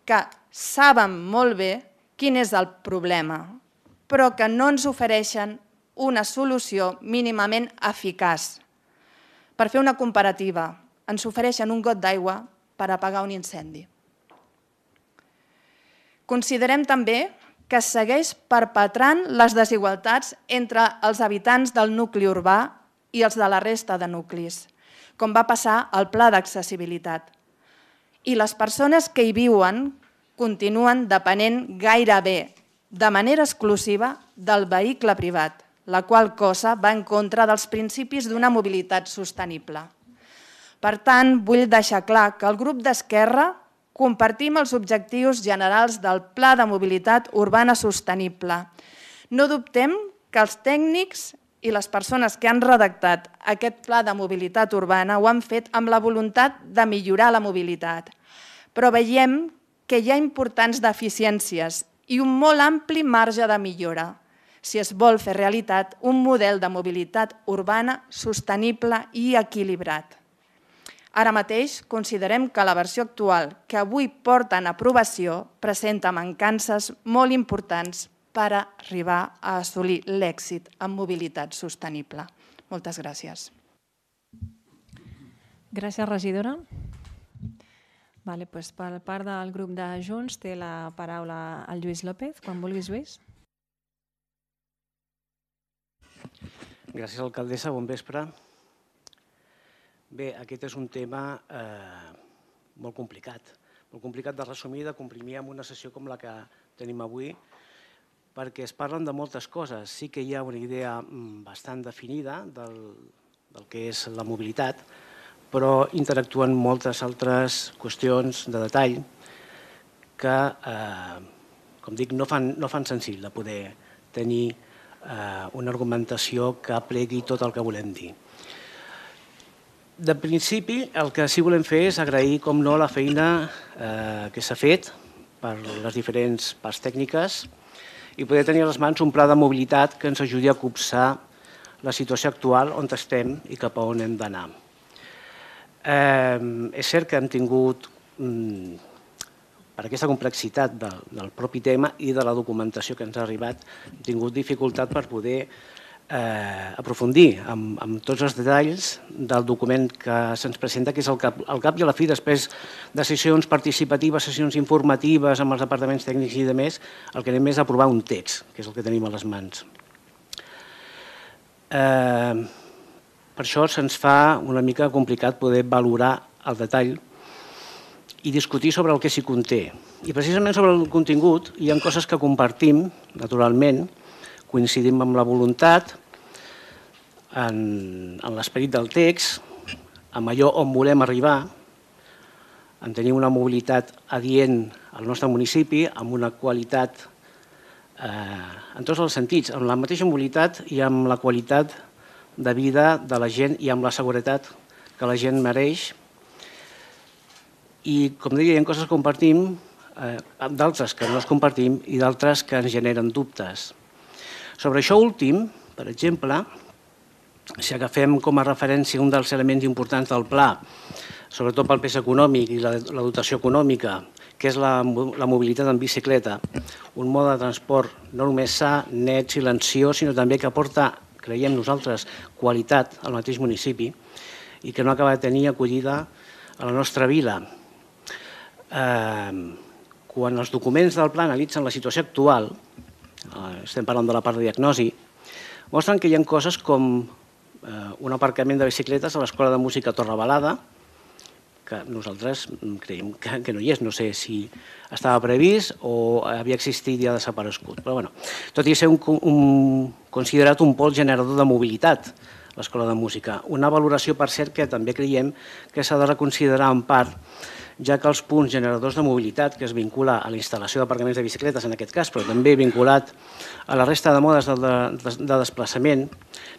que saben molt bé quin és el problema, però que no ens ofereixen una solució mínimament eficaç. Per fer una comparativa, ens ofereixen un got d'aigua per apagar un incendi. Considerem també que segueix perpetrant les desigualtats entre els habitants del nucli urbà i els de la resta de nuclis, com va passar al Pla d'Accessibilitat. I les persones que hi viuen continuen depenent gairebé de manera exclusiva del vehicle privat, la qual cosa va en contra dels principis d'una mobilitat sostenible. Per tant, vull deixar clar que el grup d'Esquerra compartim els objectius generals del Pla de Mobilitat Urbana Sostenible. No dubtem que els tècnics i les persones que han redactat aquest Pla de Mobilitat Urbana ho han fet amb la voluntat de millorar la mobilitat, però veiem que hi ha importants deficiències i un molt ampli marge de millora si es vol fer realitat un model de mobilitat urbana sostenible i equilibrat. Ara mateix considerem que la versió actual que avui porta en aprovació presenta mancances molt importants per arribar a assolir l'èxit en mobilitat sostenible. Moltes gràcies. Gràcies, regidora. Per part del grup de Junts té la paraula el Lluís López. Quan vulguis, Lluís. Gràcies, alcaldessa. Bon vespre. Bé, aquest és un tema molt complicat de resumir, de comprimir en una sessió com la que tenim avui, perquè es parlen de moltes coses. Sí que hi ha una idea bastant definida del que és la mobilitat, però interactuen moltes altres qüestions de detall que, com dic, no fan senzill de poder tenir una argumentació que plegui tot el que volem dir. De principi, el que sí volem fer és agrair, com no, la feina que s'ha fet per les diferents parts tècniques i poder tenir a les mans un pla de mobilitat que ens ajudi a copsar la situació actual on estem i cap a on hem d'anar. És cert que hem tingut, per aquesta complexitat del propi tema i de la documentació que ens ha arribat, hem tingut dificultat per poder aprofundir amb tots els detalls del document que se'ns presenta, que és al cap i a la fi, després de sessions participatives, sessions informatives amb els departaments tècnics i demés, el que anem és aprovar un text, que és el que tenim a les mans. Per això se'ns fa una mica complicat poder valorar el detall i discutir sobre el que s'hi conté. I precisament sobre el contingut hi ha coses que compartim, naturalment, coincidim amb la voluntat, en l'esperit del text, amb allò on volem arribar, en tenir una mobilitat adient al nostre municipi, amb una qualitat en tots els sentits, amb la mateixa mobilitat i amb la qualitat de vida de la gent i amb la seguretat que la gent mereix. I, com deia, hi ha coses que compartim, d'altres que no es compartim i d'altres que ens generen dubtes. Sobre això últim, per exemple, si agafem com a referència un dels elements importants del pla, sobretot pel pes econòmic i la dotació econòmica, que és la mobilitat en bicicleta, un mode de transport no només sa, net, silenciós, sinó també que aporta, creiem nosaltres, qualitat al mateix municipi i que no acaba de tenir acollida a la nostra vila. Quan els documents del pla analitzen la situació actual, estem parlant de la part de diagnosi, mostren que hi ha coses com un aparcament de bicicletes a l'Escola de Música Torrebalada, que nosaltres creiem que no hi és. No sé si estava previst o havia existit i ha desaparegut. Però, bueno, tot i ser considerat un pol generador de mobilitat, l'Escola de Música. Una valoració, per cert, que també creiem que s'ha de reconsiderar en part, ja que els punts generadors de mobilitat, que es vincula a la instal·lació d'aparcaments de bicicletes en aquest cas, però també vinculat a la resta de modes de desplaçament,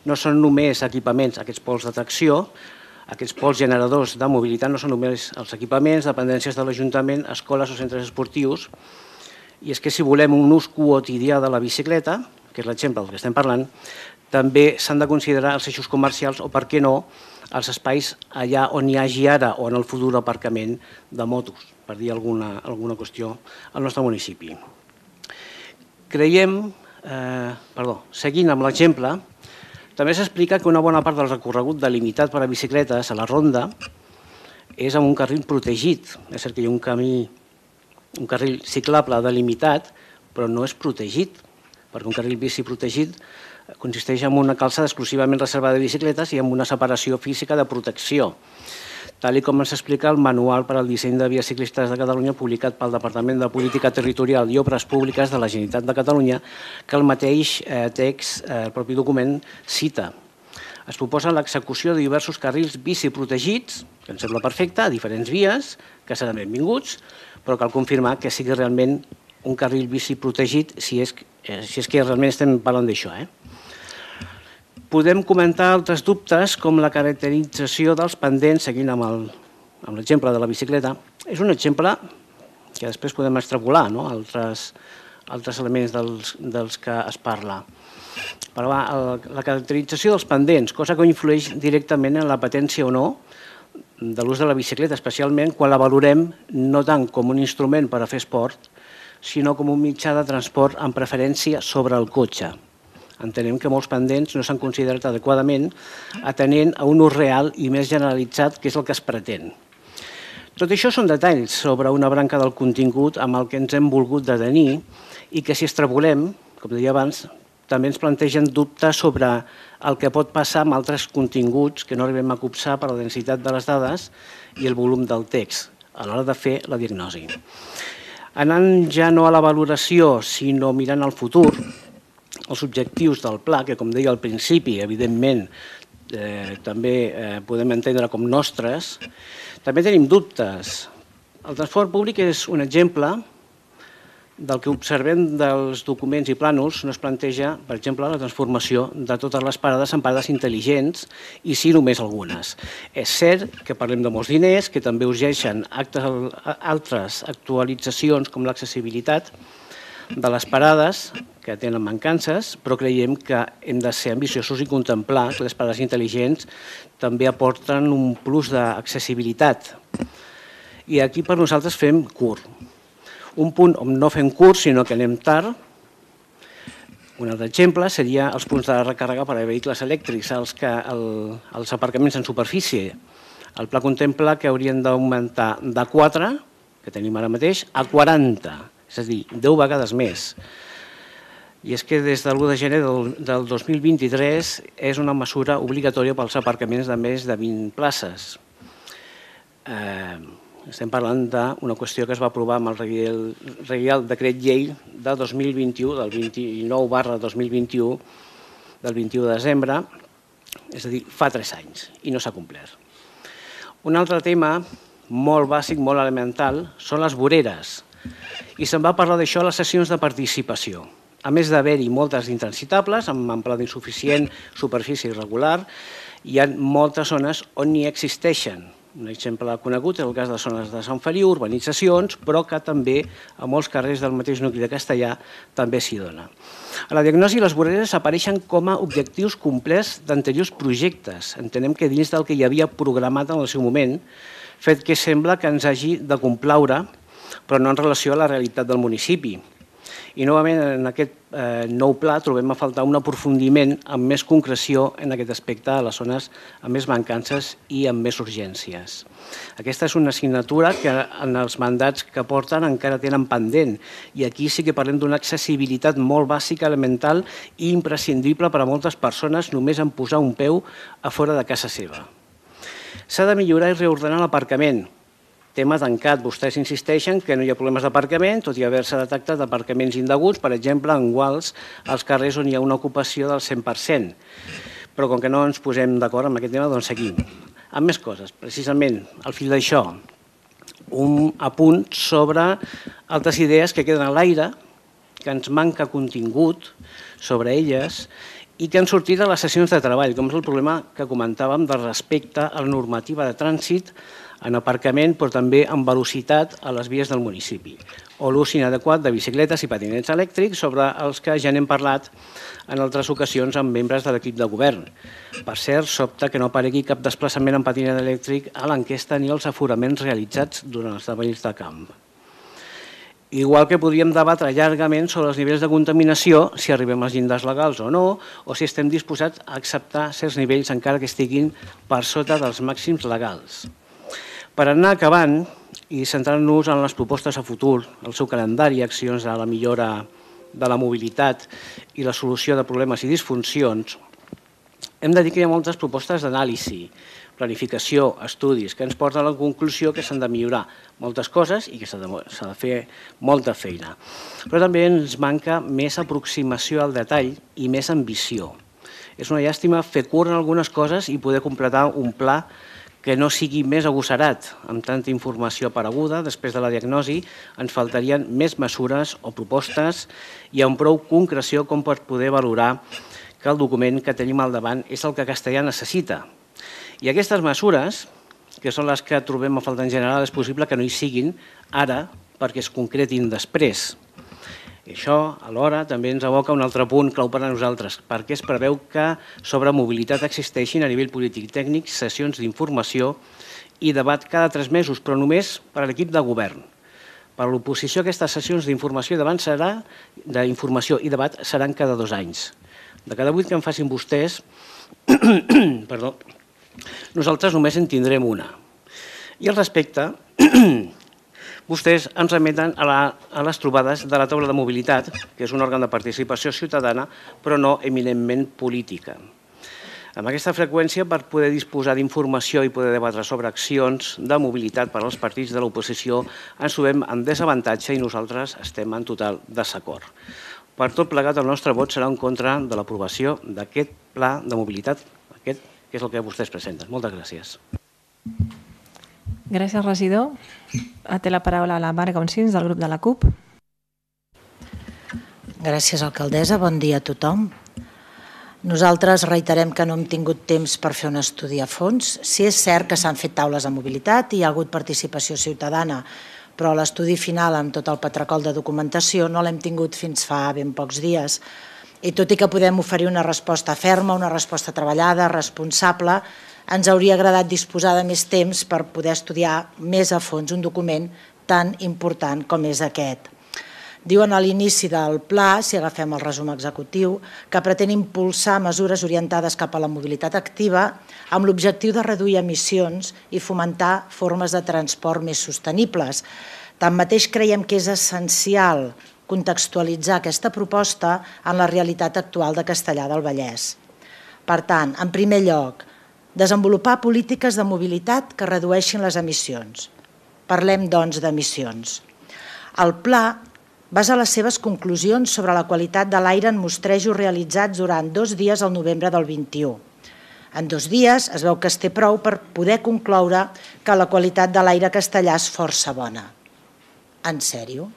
no són només equipaments, aquests pols d'atracció, aquests pols generadors de mobilitat no són només els equipaments, dependències de l'Ajuntament, escoles o centres esportius, i és que si volem un ús quotidià de la bicicleta, que és l'exemple del que estem parlant, també s'han de considerar els eixos comercials o, per què no, els espais allà on hi hagi ara o en el futur aparcament de motos, per dir alguna qüestió al nostre municipi. Creiem, seguint amb l'exemple, també s'explica que una bona part del recorregut delimitat per a bicicletes a la ronda és amb un carril protegit. És cert que hi ha un carril ciclable delimitat, però no és protegit, perquè un carril bici protegit consisteix en una calçada exclusivament reservada de bicicletes i amb una separació física de protecció, tal com ens explica el Manual per al disseny de vies ciclistes de Catalunya publicat pel Departament de Política Territorial i Obres Públiques de la Generalitat de Catalunya, que el mateix text, el propi document, cita. Es proposa l'execució de diversos carrils bici protegits, que ens sembla perfecte, a diferents vies, que seran benvinguts, però cal confirmar que sigui realment un carril bici protegit si és que realment estem parlant d'això. Podem comentar altres dubtes, com la caracterització dels pendents, seguint amb l'exemple de la bicicleta. És un exemple que després podem extrapolar altres elements dels que es parla. Però la caracterització dels pendents, cosa que influeix directament en la patència o no de l'ús de la bicicleta, especialment quan la valorem no tant com un instrument per a fer esport, sinó com un mitjà de transport amb preferència sobre el cotxe. Entenem que molts pendents no s'han considerat adequadament atenent a un ús real i més generalitzat, que és el que es pretén. Tot això són detalls sobre una branca del contingut amb el que ens hem volgut detenir i que si extrapolem, com deia abans, també ens plantegen dubtes sobre el que pot passar amb altres continguts que no arribem a copsar per la densitat de les dades i el volum del text a l'hora de fer la diagnosi. Anant ja no a la valoració, sinó mirant al futur, els objectius del pla, que com deia al principi, evidentment, també podem entendre com nostres, també tenim dubtes. El transport públic és un exemple del que observem dels documents i plànols. No es planteja, per exemple, la transformació de totes les parades en parades intel·ligents i sí només algunes. És cert que parlem de molts diners, que també urgeixen altres actualitzacions com l'accessibilitat de les parades que tenen mancances, però creiem que hem de ser ambiciosos i contemplar que les parades intel·ligents també aporten un plus d'accessibilitat. I aquí per nosaltres fem curt. Un punt on no fem curt, sinó que anem tard. Un altre exemple seria els punts de recàrrega per a vehicles elèctrics, els aparcaments en superfície. El pla contempla que haurien d'augmentar de 4, que tenim ara mateix, a 40, és a dir, 10 vegades més. I és que des de l'1 de gener del 2023 és una mesura obligatòria pels aparcaments de més de 20 places. Estem parlant d'una qüestió que es va aprovar amb el Reial Decret Llei de 2021, del 29/2021, del 21 de desembre, és a dir, fa 3 anys, i no s'ha complert. Un altre tema molt bàsic, molt elemental, són les voreres. I se'n va parlar d'això a les sessions de participació. A més d'haver-hi moltes intransitables, amb amplada insuficient, superfície irregular, hi ha moltes zones on n'hi existeixen. Un exemple conegut és el cas de zones de Sant Feliu, urbanitzacions, però que també a molts carrers del mateix nucli de Castellar també s'hi dona. A la diagnosi, les voreres apareixen com a objectius complets d'anteriors projectes. Entenem que dins del que hi havia programat en el seu moment, fet que sembla que ens hagi de complaure, però no en relació a la realitat del municipi. I novament en aquest nou pla trobem a faltar un aprofundiment amb més concreció en aquest aspecte a les zones amb més mancances i amb més urgències. Aquesta és una assignatura que en els mandats que porten encara tenen pendent i aquí sí que parlem d'una accessibilitat molt bàsica, elemental i imprescindible per a moltes persones només en posar un peu a fora de casa seva. S'ha de millorar i reordenar l'aparcament. tema tancat. Vostès insisteixen que no hi ha problemes d'aparcament, tot i haver-se detectat aparcaments indeguts, per exemple, en Guals, als carrers on hi ha una ocupació del 100%. Però com que no ens posem d'acord amb aquest tema, doncs seguim. Amb més coses, precisament, al fil d'això, un apunt sobre altres idees que queden a l'aire, que ens manca contingut sobre elles i que han sortit a les sessions de treball, com és el problema que comentàvem de respecte a la normativa de trànsit en aparcament, però també en velocitat a les vies del municipi, o l'ús inadequat de bicicletes i patinets elèctrics, sobre els que ja n'hem parlat en altres ocasions amb membres de l'equip de govern. Per cert, sobta que no aparegui cap desplaçament en patinet elèctric a l'enquesta ni als aforaments realitzats durant els esdeveniments de camp. Igual que podríem debatre llargament sobre els nivells de contaminació, si arribem als llindars legals o no, o si estem disposats a acceptar certs nivells encara que estiguin per sota dels màxims legals. Per anar acabant i centrant-nos en les propostes a futur, el seu calendari, accions a la millora de la mobilitat i la solució de problemes i disfuncions, hem de dir que hi ha moltes propostes d'anàlisi, planificació, estudis, que ens porten a la conclusió que s'han de millorar moltes coses i que s'ha de fer molta feina. Però també ens manca més aproximació al detall i més ambició. És una llàstima fer curt en algunes coses i poder completar un pla que no sigui més agosserat. Amb tanta informació apareguda, després de la diagnosi, ens faltarien més mesures o propostes i amb prou concreció com per poder valorar que el document que tenim al davant és el que Castellà necessita. I aquestes mesures, que són les que trobem a faltar en general, és possible que no hi siguin ara perquè es concretin després. I això, alhora, també ens aboca un altre punt clau per a nosaltres, perquè es preveu que sobre mobilitat existeixin a nivell polític i tècnic sessions d'informació i debat cada 3 mesos, però només per a l'equip de govern. Per a l'oposició, aquestes sessions d'informació i debat seran cada 2 anys. De cada 8 que en facin vostès, nosaltres només en tindrem una. I al respecte, vostès ens remeten a les trobades de la taula de mobilitat, que és un òrgan de participació ciutadana, però no eminentment política. Amb aquesta freqüència, per poder disposar d'informació i poder debatre sobre accions de mobilitat per als partits de l'oposició, ens trobem en desavantatge i nosaltres estem en total desacord. Per tot plegat, el nostre vot serà en contra de l'aprovació d'aquest pla de mobilitat, aquest que és el que vostès presenten. Moltes gràcies. Gràcies, regidor. Té la paraula la Marga Onsins, del grup de la CUP. Gràcies, alcaldessa. Bon dia a tothom. Nosaltres reiterem que no hem tingut temps per fer un estudi a fons. Sí, és cert que s'han fet taules de mobilitat i hi ha hagut participació ciutadana, però l'estudi final amb tot el patracol de documentació no l'hem tingut fins fa ben pocs dies. I tot i que podem oferir una resposta ferma, una resposta treballada, responsable, ens hauria agradat disposar de més temps per poder estudiar més a fons un document tan important com és aquest. Diuen a l'inici del pla, si agafem el resum executiu, que pretén impulsar mesures orientades cap a la mobilitat activa amb l'objectiu de reduir emissions i fomentar formes de transport més sostenibles. Tanmateix creiem que és essencial contextualitzar aquesta proposta en la realitat actual de Castellar del Vallès. Per tant, en primer lloc, desenvolupar polítiques de mobilitat que redueixin les emissions. Parlem, doncs, d'emissions. El pla basa les seves conclusions sobre la qualitat de l'aire en mostrejos realitzats durant 2 dies al novembre del 21. En 2 dies es veu que es té prou per poder concloure que la qualitat de l'aire castellà és força bona. En sèrio?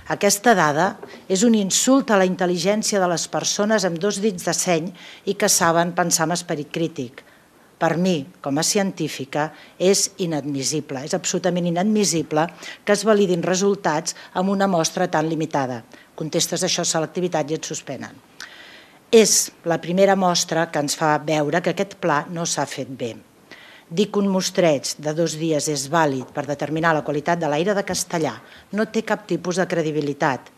Aquesta dada és un insult a la intel·ligència de les persones amb 2 dits de seny i que saben pensar amb esperit crític. Per mi, com a científica, és inadmissible, és absolutament inadmissible que es validin resultats amb una mostra tan limitada. Contestes això a selectivitat i et suspenen. És la primera mostra que ens fa veure que aquest pla no s'ha fet bé. Dir que un mostreig de 2 dies és vàlid per determinar la qualitat de l'aire de Castellà no té cap tipus de credibilitat.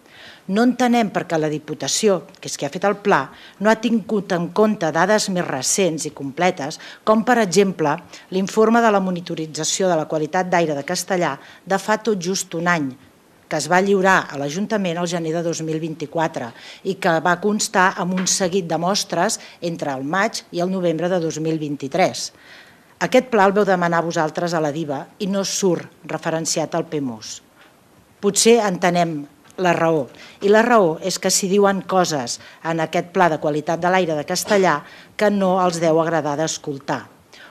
No entenem per què la Diputació, que és qui ha fet el pla, no ha tingut en compte dades més recents i completes, com per exemple l'informe de la monitorització de la qualitat d'aire de Castellà de fa tot just un any, que es va lliurar a l'Ajuntament al gener de 2024 i que va constar amb un seguit de mostres entre el maig i el novembre de 2023. Aquest pla el veu demanar vosaltres a la DIVA i no surt referenciat al PEMUS. Potser entenem la raó. I la raó és que s'hi diuen coses en aquest pla de qualitat de l'aire de Castellà que no els deu agradar d'escoltar.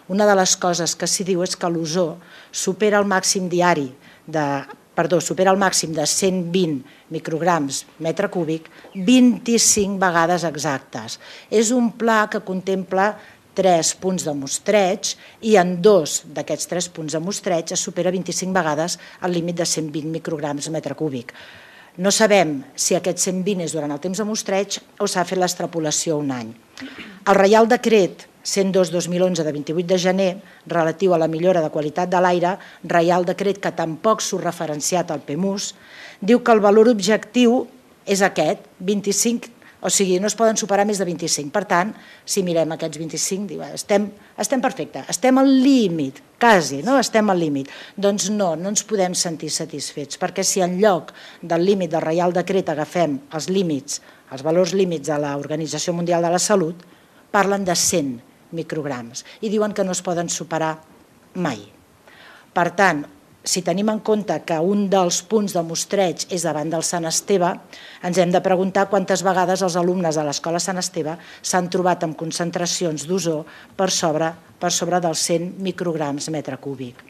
Una de les coses que s'hi diu és que l'ozó supera el màxim supera el màxim de 120 micrograms metre cúbic 25 vegades exactes. És un pla que contempla 3 punts de mostreig i en 2 d'aquests 3 punts de mostreig es supera 25 vegades el límit de 120 micrograms metre cúbic. No sabem si aquest 120 és durant el temps de mostreig o s'ha fet l'extrapolació un any. El Reial Decret 102/2011 de 28 de gener, relatiu a la millora de qualitat de l'aire, Reial Decret que tampoc surt referenciat al PEMUS, diu que el valor objectiu és aquest, 25, o sigui, no es poden superar més de 25. Per tant, si mirem aquests 25, estem perfecte, estem al límit, quasi, no? Estem al límit. Doncs no ens podem sentir satisfets, perquè si en lloc del límit del Reial Decret agafem els límits, els valors límits de l'Organització Mundial de la Salut, parlen de 100 micrograms i diuen que no es poden superar mai. Per tant, si tenim en compte que un dels punts de mostreig és davant del Sant Esteve, ens hem de preguntar quantes vegades els alumnes de l'Escola Sant Esteve s'han trobat amb concentracions d'ozó per sobre dels 100 micrograms metre cúbic.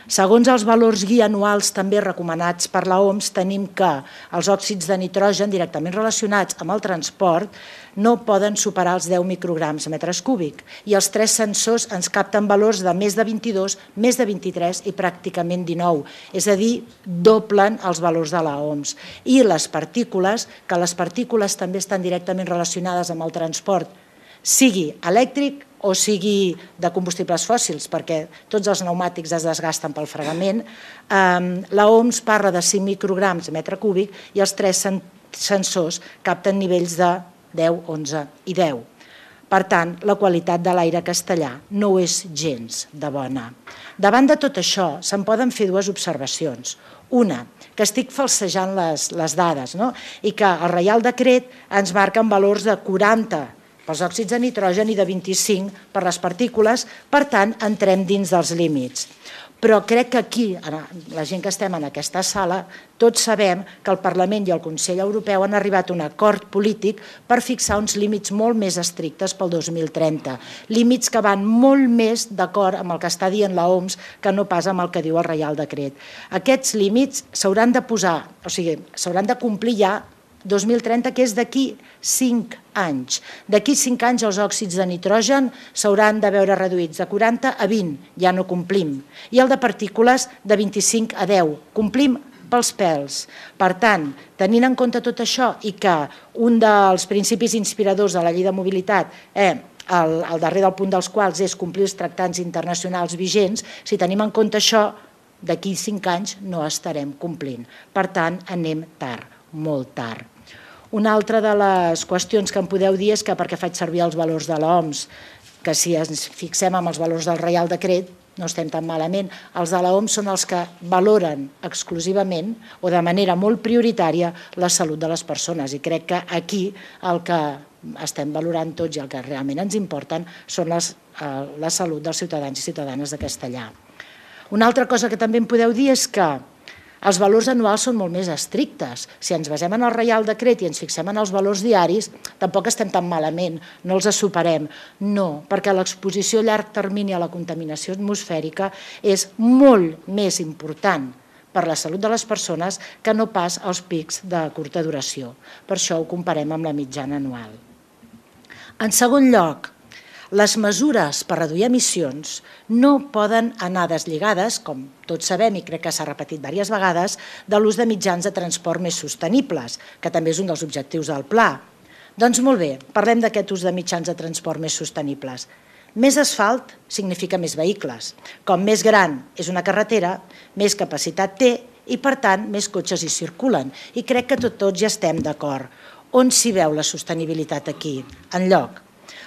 Segons els valors guia anuals també recomanats per l'OMS, tenim que els òxids de nitrogen directament relacionats amb el transport no poden superar els 10 micrograms metres cúbic i els 3 sensors ens capten valors de més de 22, més de 23 i pràcticament 19, és a dir, doblen els valors de l'OMS. I les partícules, que les partícules també estan directament relacionades amb el transport, sigui elèctric o sigui de combustibles fòssils, perquè tots els pneumàtics es desgasten pel fregament, l'OMS parla de 5 micrograms metre cúbic i els 3 sensors capten nivells de 10, 11 i 10. Per tant, la qualitat de l'aire castellà no és gens de bona. Davant de tot això, se'n poden fer dues observacions. Una, que estic falsejant les dades, i que el Reial Decret ens marca en valors de 40 pels òxids de nitrogen i de 25 per les partícules, per tant, entrem dins dels límits. Però crec que aquí, la gent que estem en aquesta sala, tots sabem que el Parlament i el Consell Europeu han arribat a un acord polític per fixar uns límits molt més estrictes pel 2030, límits que van molt més d'acord amb el que està dient l'OMS que no pas amb el que diu el Reial Decret. Aquests límits s'hauran de posar, o sigui, s'hauran de complir ja 2030, que és d'aquí 5 anys. D'aquí 5 anys els òxids de nitrogen s'hauran de veure reduïts de 40 a 20, ja no complim. I el de partícules de 25 a 10, complim pels pèls. Per tant, tenint en compte tot això i que un dels principis inspiradors de la llei de mobilitat, el darrer del punt dels quals és complir els tractats internacionals vigents, si tenim en compte això, d'aquí 5 anys no estarem complint. Per tant, anem tard, molt tard. Una altra de les qüestions que em podeu dir és que perquè faig servir els valors de l'OMS, que si ens fixem en els valors del Reial Decret no estem tan malament, els de l'OMS són els que valoren exclusivament o de manera molt prioritària la salut de les persones i crec que aquí el que estem valorant tots i el que realment ens importen són la salut dels ciutadans i ciutadanes de Castellà. Una altra cosa que també em podeu dir és que els valors anuals són molt més estrictes. Si ens basem en el Reial Decret i ens fixem en els valors diaris, tampoc estem tan malament, no els superem. No, perquè l'exposició a llarg termini a la contaminació atmosfèrica és molt més important per la salut de les persones que no pas els pics de curta duració. Per això ho comparem amb la mitjana anual. En segon lloc, les mesures per reduir emissions no poden anar deslligades, com tots sabem i crec que s'ha repetit diverses vegades, de l'ús de mitjans de transport més sostenibles, que també és un dels objectius del pla. Doncs molt bé, parlem d'aquest ús de mitjans de transport més sostenibles. Més asfalt significa més vehicles. Com més gran és una carretera, més capacitat té i, per tant, més cotxes hi circulen. I crec que tots ja estem d'acord. On s'hi veu la sostenibilitat aquí? Enlloc.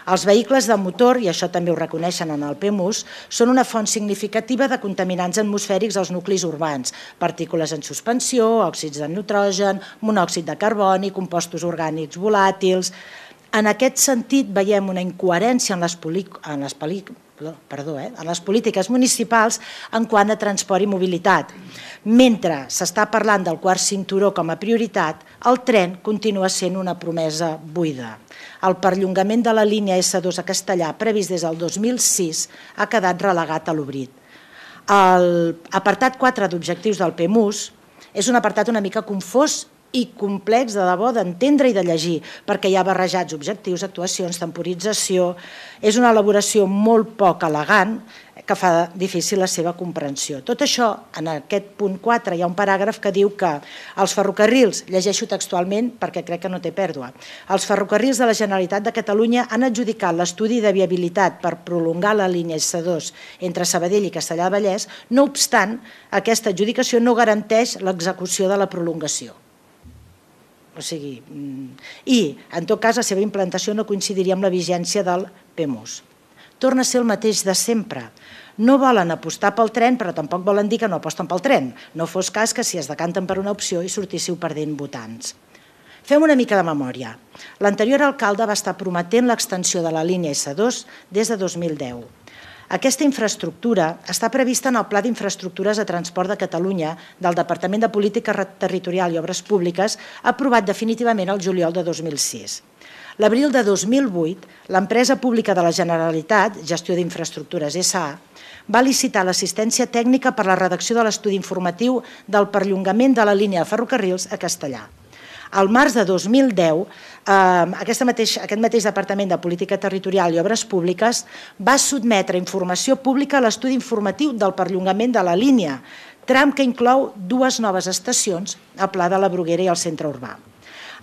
Els vehicles de motor, i això també ho reconeixen en el PEMUS, són una font significativa de contaminants atmosfèrics als nuclis urbans, partícules en suspensió, òxids de nitrogen, monòxid de carboni, compostos orgànics volàtils. En aquest sentit, veiem una incoherència en les polítiques municipals en quant a transport i mobilitat. Mentre s'està parlant del quart cinturó com a prioritat, el tren continua sent una promesa buida. El perllongament de la línia S2 a Castellar, previst des del 2006, ha quedat relegat a l'oblit. L'apartat 4 d'objectius del PEMUS és un apartat una mica confós i complex de debò d'entendre i de llegir, perquè hi ha barrejats objectius, actuacions, temporització. És una elaboració molt poc elegant que fa difícil la seva comprensió. Tot això, en aquest punt 4 hi ha un paràgraf que diu que els ferrocarrils, llegeixo textualment perquè crec que no té pèrdua, els ferrocarrils de la Generalitat de Catalunya han adjudicat l'estudi de viabilitat per prolongar la línia S2 entre Sabadell i Castellar del Vallès, no obstant, aquesta adjudicació no garanteix l'execució de la prolongació. I, en tot cas, la seva implantació no coincidiria amb la vigència del PEMUS. Torna a ser el mateix de sempre. No volen apostar pel tren, però tampoc volen dir que no aposten pel tren. No fos cas que si es decanten per una opció i sortíssiu perdent votants. Fem una mica de memòria. L'anterior alcalde va estar prometent l'extensió de la línia S2 des de 2010. Aquesta infraestructura està prevista en el Pla d'Infraestructures de Transport de Catalunya del Departament de Política Territorial i Obres Públiques, aprovat definitivament el juliol de 2006. L'abril de 2008, l'empresa pública de la Generalitat, Gestió d'Infraestructures S.A., va licitar l'assistència tècnica per la redacció de l'estudi informatiu del perllongament de la línia de ferrocarrils a Castellar. Al març de 2010, aquest mateix Departament de Política Territorial i Obres Públiques va sotmetre informació pública a l'estudi informatiu del perllongament de la línia, tram que inclou 2 noves estacions, a Pla de la Bruguera i al centre urbà.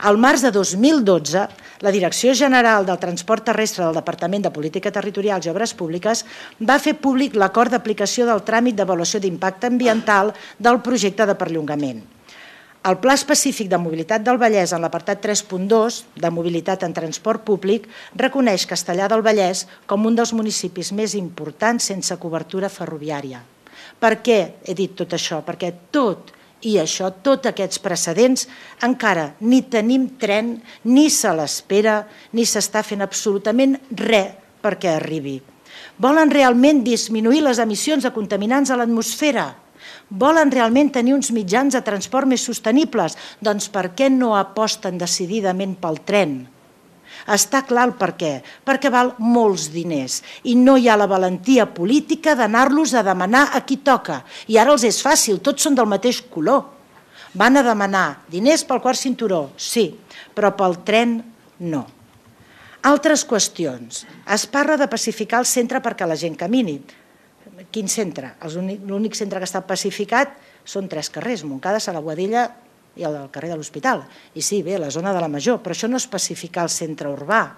Al març de 2012, la Direcció General del Transport Terrestre del Departament de Política Territorial i Obres Públiques va fer públic l'acord d'aplicació del tràmit d'avaluació d'impacte ambiental del projecte de perllongament. El Pla Específic de Mobilitat del Vallès, en l'apartat 3.2 de mobilitat en transport públic, reconeix Castellar del Vallès com un dels municipis més importants sense cobertura ferroviària. Per què he dit tot això? Perquè tots aquests precedents, encara ni tenim tren, ni se l'espera, ni s'està fent absolutament res perquè arribi. Volen realment disminuir les emissions de contaminants a l'atmosfera? Volen realment tenir uns mitjans de transport més sostenibles? Doncs per què no aposten decididament pel tren? Està clar el per què. Perquè val molts diners i no hi ha la valentia política d'anar-los a demanar a qui toca. I ara els és fàcil, tots són del mateix color. Van a demanar diners pel quart cinturó, sí, però pel tren no. Altres qüestions. Es parla de pacificar el centre perquè la gent camini. Quin centre? L'únic centre que està pacificat són 3 carrers, Montcada, Sala Boadella i el carrer de l'Hospital. I sí, bé, la zona de la Major, però això no és pacificar el centre urbà.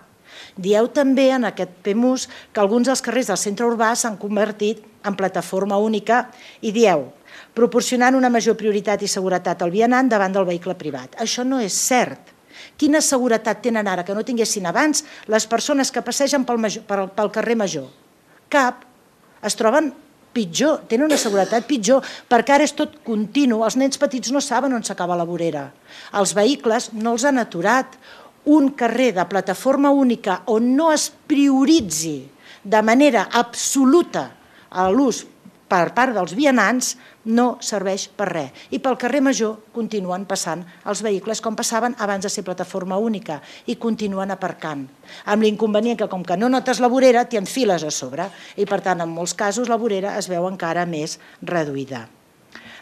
Dieu també en aquest PEMUS que alguns dels carrers del centre urbà s'han convertit en plataforma única i dieu, proporcionant una major prioritat i seguretat al vianant davant del vehicle privat. Això no és cert. Quina seguretat tenen ara que no tinguessin abans les persones que passegen pel carrer Major? Cap. Es troben pitjor, tenen una seguretat pitjor, perquè ara és tot continu, els nens petits no saben on s'acaba la vorera. Els vehicles no els han aturat. Un carrer de plataforma única on no es prioritzi de manera absoluta l'ús per part dels vianants no serveix per res. I pel carrer Major continuen passant els vehicles com passaven abans de ser plataforma única i continuen aparcant. Amb l'inconvenient que com que no notes la vorera t'hi enfiles a sobre i per tant en molts casos la vorera es veu encara més reduïda.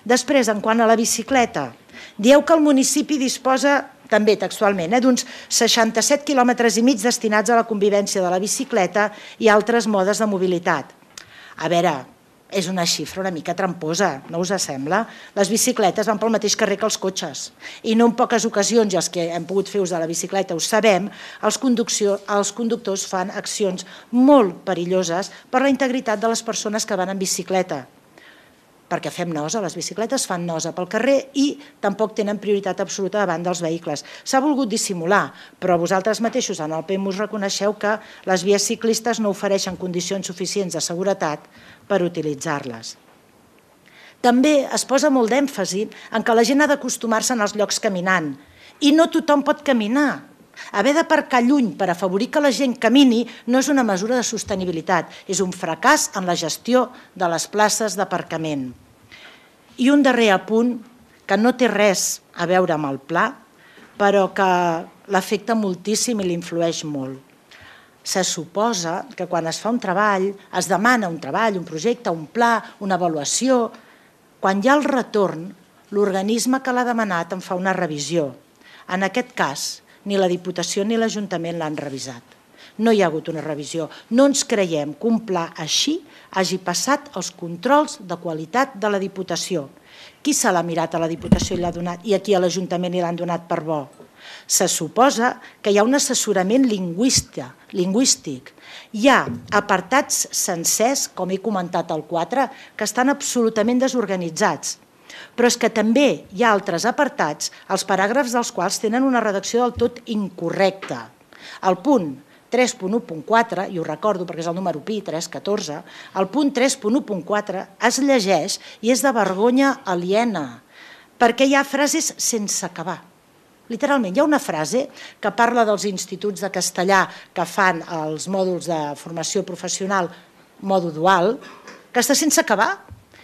Després, en quant a la bicicleta, dieu que el municipi disposa també textualment d'uns 67,5 quilòmetres destinats a la convivència de la bicicleta i altres modes de mobilitat. A veure, és una xifra una mica tramposa, no us sembla? Les bicicletes van pel mateix carrer que els cotxes i no en poques ocasions, i els que hem pogut fer ús de la bicicleta ho sabem, els conductors fan accions molt perilloses per la integritat de les persones que van en bicicleta. Perquè fem nosa, les bicicletes fan nosa pel carrer i tampoc tenen prioritat absoluta davant dels vehicles. S'ha volgut dissimular, però vosaltres mateixos en el PEMUS reconeixeu que les vies ciclistes no ofereixen condicions suficients de seguretat per utilitzar-les. També es posa molt d'èmfasi en que la gent ha d'acostumar-se en els llocs caminant i no tothom pot caminar. Haver d'aparcar lluny per afavorir que la gent camini no és una mesura de sostenibilitat, és un fracàs en la gestió de les places d'aparcament. I un darrer apunt que no té res a veure amb el pla, però que l'afecta moltíssim i l'influeix molt. Se suposa que quan es fa un treball, es demana un treball, un projecte, un pla, una avaluació. Quan hi ha el retorn, l'organisme que l'ha demanat en fa una revisió. En aquest cas, ni la Diputació ni l'Ajuntament l'han revisat. No hi ha hagut una revisió. No ens creiem que un pla així hagi passat els controls de qualitat de la Diputació. Qui se l'ha mirat a la Diputació i l'ha donat i aquí a l'Ajuntament i l'han donat per bo? Se suposa que hi ha un assessorament lingüístic. Hi ha apartats sencers, com he comentat al 4, que estan absolutament desorganitzats. Però és que també hi ha altres apartats, els paràgrafs dels quals tenen una redacció del tot incorrecta. El punt 3.1.4, i ho recordo perquè és el número pi, 3.14, el punt 3.1.4 es llegeix i és de vergonya aliena, perquè hi ha frases sense acabar. Literalment, hi ha una frase que parla dels instituts de castellà que fan els mòduls de formació professional mòdul dual, que està sense acabar.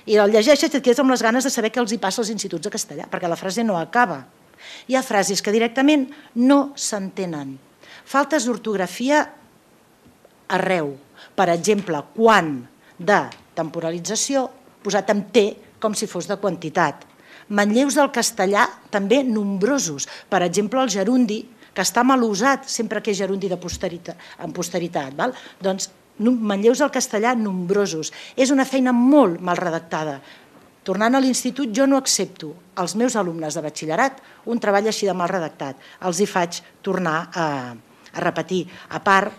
I el llegeixes i et quedes amb les ganes de saber què els hi passa als instituts de castellà, perquè la frase no acaba. Hi ha frases que directament no s'entenen. Faltes d'ortografia arreu. Per exemple, quan de temporalització posat amb T com si fos de quantitat. Manlleus del castellà també nombrosos. Per exemple, el gerundi, que està mal usat sempre que és gerundi en posteritat. Doncs manlleus del castellà nombrosos. És una feina molt mal redactada. Tornant a l'institut, jo no accepto als meus alumnes de batxillerat un treball així de mal redactat. Els hi faig tornar a repetir. A part,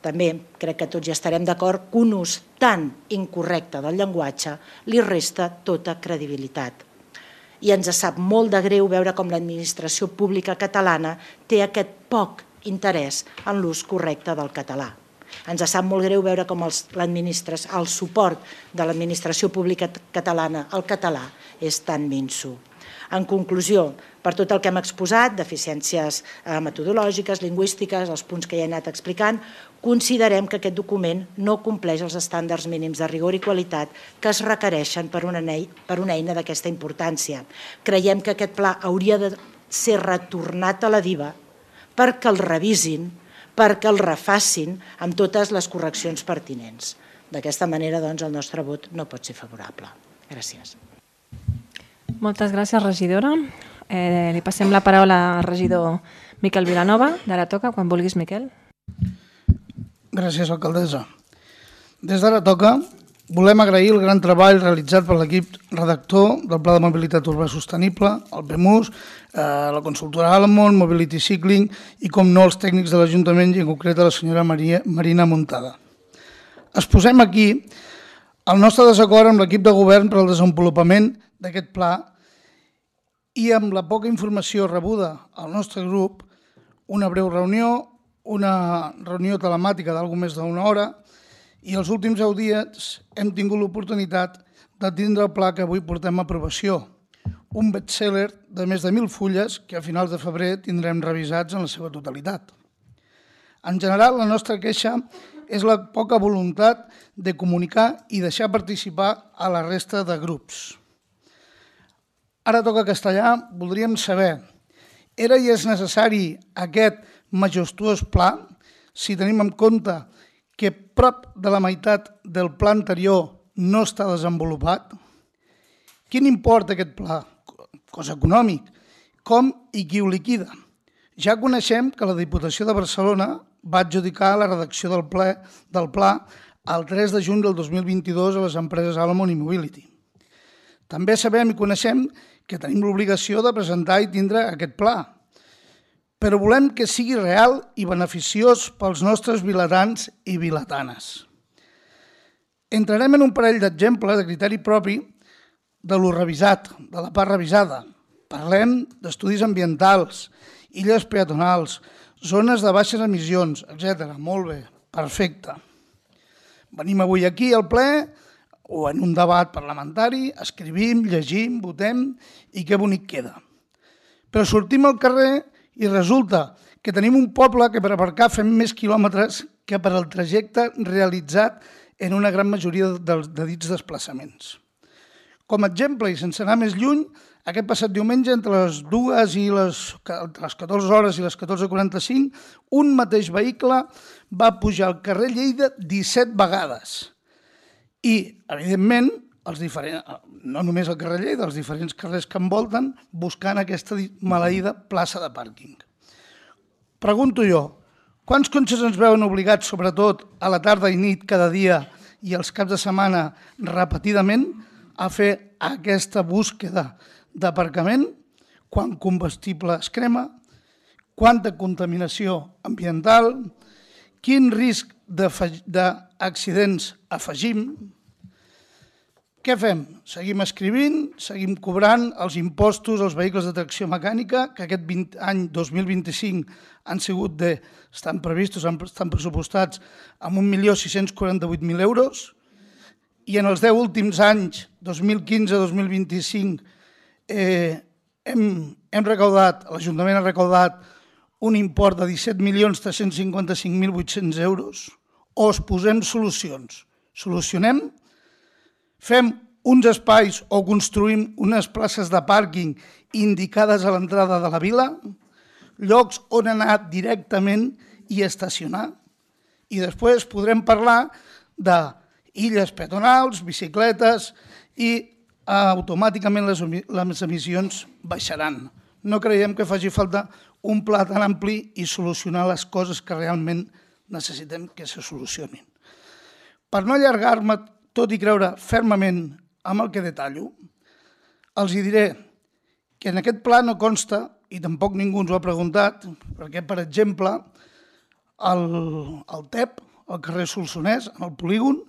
també crec que tots ja estarem d'acord que un ús tan incorrecte del llenguatge li resta tota credibilitat. I ens sap molt de greu veure com l'administració pública catalana té aquest poc interès en l'ús correcte del català. Ens sap molt greu veure com el suport de l'administració pública catalana al català és tan minso. En conclusió, per tot el que hem exposat, deficiències metodològiques, lingüístiques, els punts que ja he anat explicant, considerem que aquest document no compleix els estàndards mínims de rigor i qualitat que es requereixen per una eina d'aquesta importància. Creiem que aquest pla hauria de ser retornat a la DIVA perquè el revisin, perquè el refacin amb totes les correccions pertinents. D'aquesta manera, doncs, el nostre vot no pot ser favorable. Gràcies. Moltes gràcies, regidora. Li passem la paraula al regidor Miquel Vilanova. D'ara toca, quan vulguis, Miquel. Gràcies, alcaldessa. Des d'ara toca, volem agrair el gran treball realitzat per l'equip redactor del Pla de Mobilitat Urbà Sostenible, el PEMUS, la consultora Almond, Mobility Cycling i, com no, els tècnics de l'Ajuntament i en concret la senyora Marina Muntada. Exposem aquí el nostre desacord amb l'equip de govern per al desenvolupament d'aquest pla i amb la poca informació rebuda al nostre grup, una breu reunió, una reunió telemàtica d'alguna més d'una hora i els últims 10 dies hem tingut l'oportunitat de tindre el pla que avui portem a aprovació, un best-seller de més de 1.000 fulles que a finals de febrer tindrem revisats en la seva totalitat. En general, la nostra queixa és la poca voluntat de comunicar i deixar participar a la resta de grups. Ara toca castellà, voldríem saber, era i és necessari aquest majestuós pla si tenim en compte que prop de la meitat del pla anterior no està desenvolupat? Quin import aquest pla? Cost econòmic. Com i qui ho liquida? Ja coneixem que la Diputació de Barcelona va adjudicar la redacció del pla el 3 de juny del 2022 a les empreses Almond i Mobility. També sabem i coneixem que tenim l'obligació de presentar i tindre aquest pla, però volem que sigui real i beneficiós pels nostres vilatans i vilatanes. Entrarem en un parell d'exemples de criteri propi de lo revisat, de la part revisada. Parlem d'estudis ambientals, illes peatonals, zones de baixes emissions, etc. Molt bé, perfecte. Venim avui aquí al ple o en un debat parlamentari, escrivim, llegim, votem i que bonic queda. Però sortim al carrer i resulta que tenim un poble que per aparcar fem més quilòmetres que per al trajecte realitzat en una gran majoria de dits desplaçaments. Com a exemple, i sense anar més lluny, aquest passat diumenge, entre les 2 i les 14 hores i les 14:45, un mateix vehicle va pujar al carrer Lleida 17 vegades. I, evidentment, no només al carrer Lleida, els diferents carrers que envolten, buscant aquesta maleïda plaça de pàrquing. Pregunto jo, quants cotxes ens veuen obligats, sobretot a la tarda i nit cada dia i els caps de setmana repetidament, a fer aquesta búsqueda d'aparcament, quant combustible es crema, quanta contaminació ambiental, quin risc d'accidents afegim. Què fem? Seguim escrivint, seguim cobrant els impostos als vehicles de tracció mecànica, que aquest any 2025 estan previstos, estan pressupostats amb 1.648.000 euros, i en els 10 últims anys, 2015-2025, l'Ajuntament ha recaudat un import de 17.355.800 euros. O es posem solucions. Solucionem, fem uns espais o construïm unes places de pàrquing indicades a l'entrada de la vila, llocs on anar directament i estacionar. I després podrem parlar d'illes peatonals, bicicletes i automàticament les emissions baixaran. No creiem que faci falta un pla tan ampli i solucionar les coses que realment necessitem que se solucionin. Per no allargar-me, tot i creure fermament amb el que detallo, els diré que en aquest pla no consta, i tampoc ningú ens ho ha preguntat, perquè, per exemple, al TEP, al carrer Solsonès, en el polígon,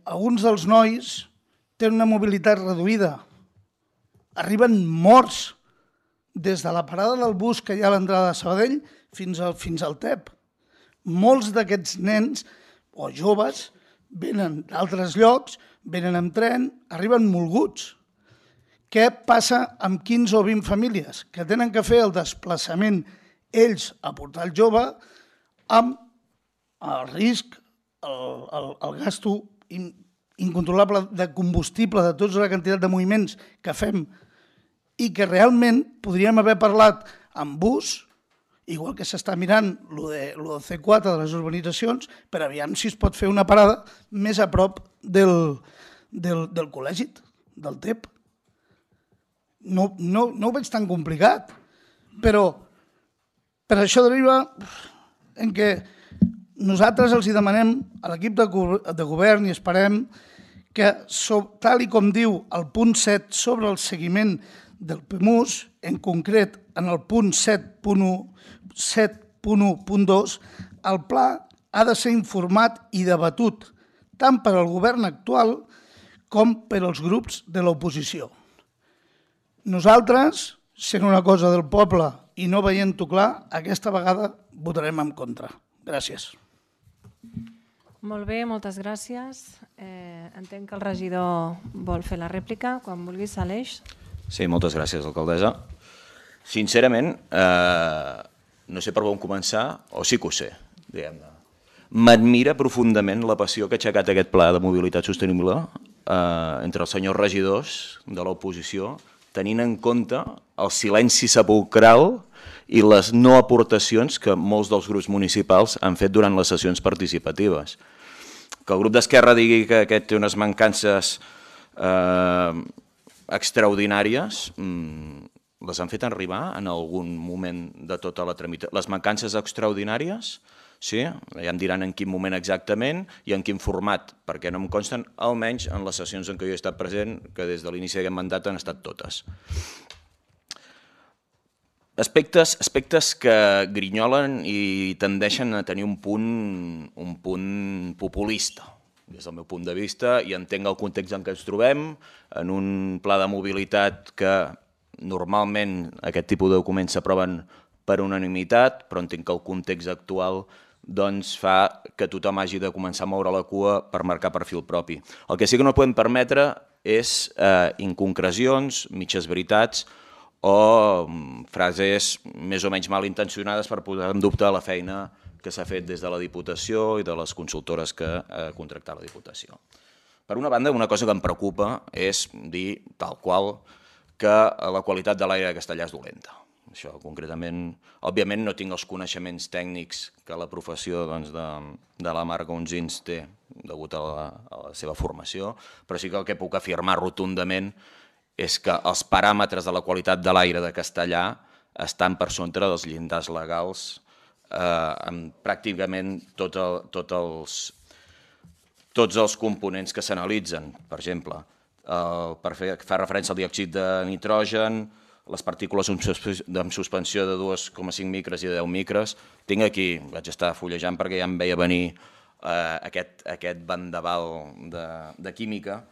alguns dels nois tenen una mobilitat reduïda. Arriben morts des de la parada del bus que hi ha a l'entrada de Sabadell fins al TEP. Molts d'aquests nens o joves venen d'altres llocs, venen amb tren, arriben molguts. Què passa amb 15 o 20 famílies que tenen que fer el desplaçament ells a portar el jove amb el risc, el gasto incontrolable de combustible, de tota la quantitat de moviments que fem i que realment podríem haver parlat amb bus, igual que s'està mirant el C4 de les urbanitzacions, per aviam si es pot fer una parada més a prop del col·legi, del TEP. No ho veig tan complicat, però per això deriva en què nosaltres els demanem a l'equip de govern i esperem que, tal i com diu el punt 7 sobre el seguiment del PEMUS, en concret en el punt 7.1.2, el pla ha de ser informat i debatut tant per al govern actual com per als grups de l'oposició. Nosaltres, sent una cosa del poble i no veient-ho clar, aquesta vegada votarem en contra. Gràcies. Molt bé, moltes gràcies. Entenc que el regidor vol fer la rèplica. Quan vulguis, Aleix. Sí, moltes gràcies, alcaldessa. Sincerament, no sé per on començar, o sí que ho sé, diguem-ne. M'admira profundament la passió que ha aixecat aquest pla de mobilitat sostenible entre els senyors regidors de l'oposició, tenint en compte el silenci sepulcral i les no aportacions que molts dels grups municipals han fet durant les sessions participatives. Que el grup d'Esquerra digui que aquest té unes mancances extraordinàries, les han fet arribar en algun moment de tota la tramitació. Les mancances extraordinàries, sí, ja em diran en quin moment exactament i en quin format, perquè no em consten, almenys en les sessions en què jo he estat present, que des de l'inici d'aquest mandat han estat totes. Aspectes que grinyolen i tendeixen a tenir un punt populista, des del meu punt de vista, i entenc el context en què ens trobem, en un pla de mobilitat que normalment aquest tipus de documents s'aproven per unanimitat, però entenc que el context actual fa que tothom hagi de començar a moure la cua per marcar perfil propi. El que sí que no podem permetre és inconcrecions, mitges veritats o frases més o menys malintencionades per posar en dubte la feina que s'ha fet des de la Diputació i de les consultores que ha contractat la Diputació. Per una banda, una cosa que em preocupa és dir tal qual que la qualitat de l'aire de Castellar és dolenta. Això concretament, òbviament no tinc els coneixements tècnics que la professió de la Marga Onsins té degut a la seva formació, però sí que el que puc afirmar rotundament és que els paràmetres de la qualitat de l'aire de Castellar estan per sobre dels llindars legals amb pràcticament tots els components que s'analitzen. Per exemple, fa referència al diòxid de nitrogen, les partícules en suspensió de 2,5 micres i de 10 micres. Tinc aquí, vaig estar fullejant perquè ja em veia venir aquest vendaval de química,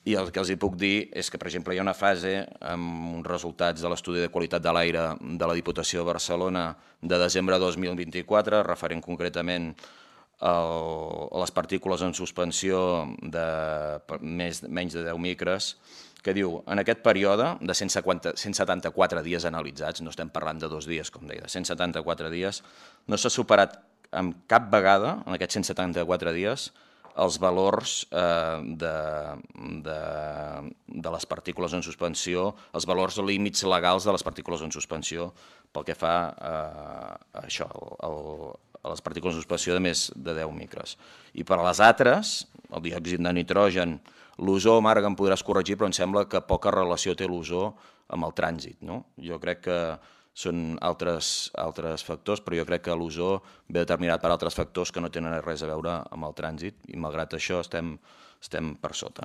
i el que els puc dir és que, per exemple, hi ha una fase amb uns resultats de l'estudi de qualitat de l'aire de la Diputació de Barcelona de desembre de 2024, referent concretament a les partícules en suspensió de menys de 10 micres, que diu, en aquest període de 174 dies analitzats, no estem parlant de 2 dies, com deia, 174 dies, no s'ha superat amb cap vegada, en aquests 174 dies, els valors de les partícules en suspensió, els valors límits legals de les partícules en suspensió pel que fa a això, a les partícules en suspensió de més de 10 micres. I per a les altres, el diòxid de nitrogen, l'ozó, Marc, em podràs corregir, però em sembla que poca relació té l'ozó amb el trànsit. Jo crec que són altres factors, però jo crec que l'ozó ve determinat per altres factors que no tenen res a veure amb el trànsit, i malgrat això estem per sota.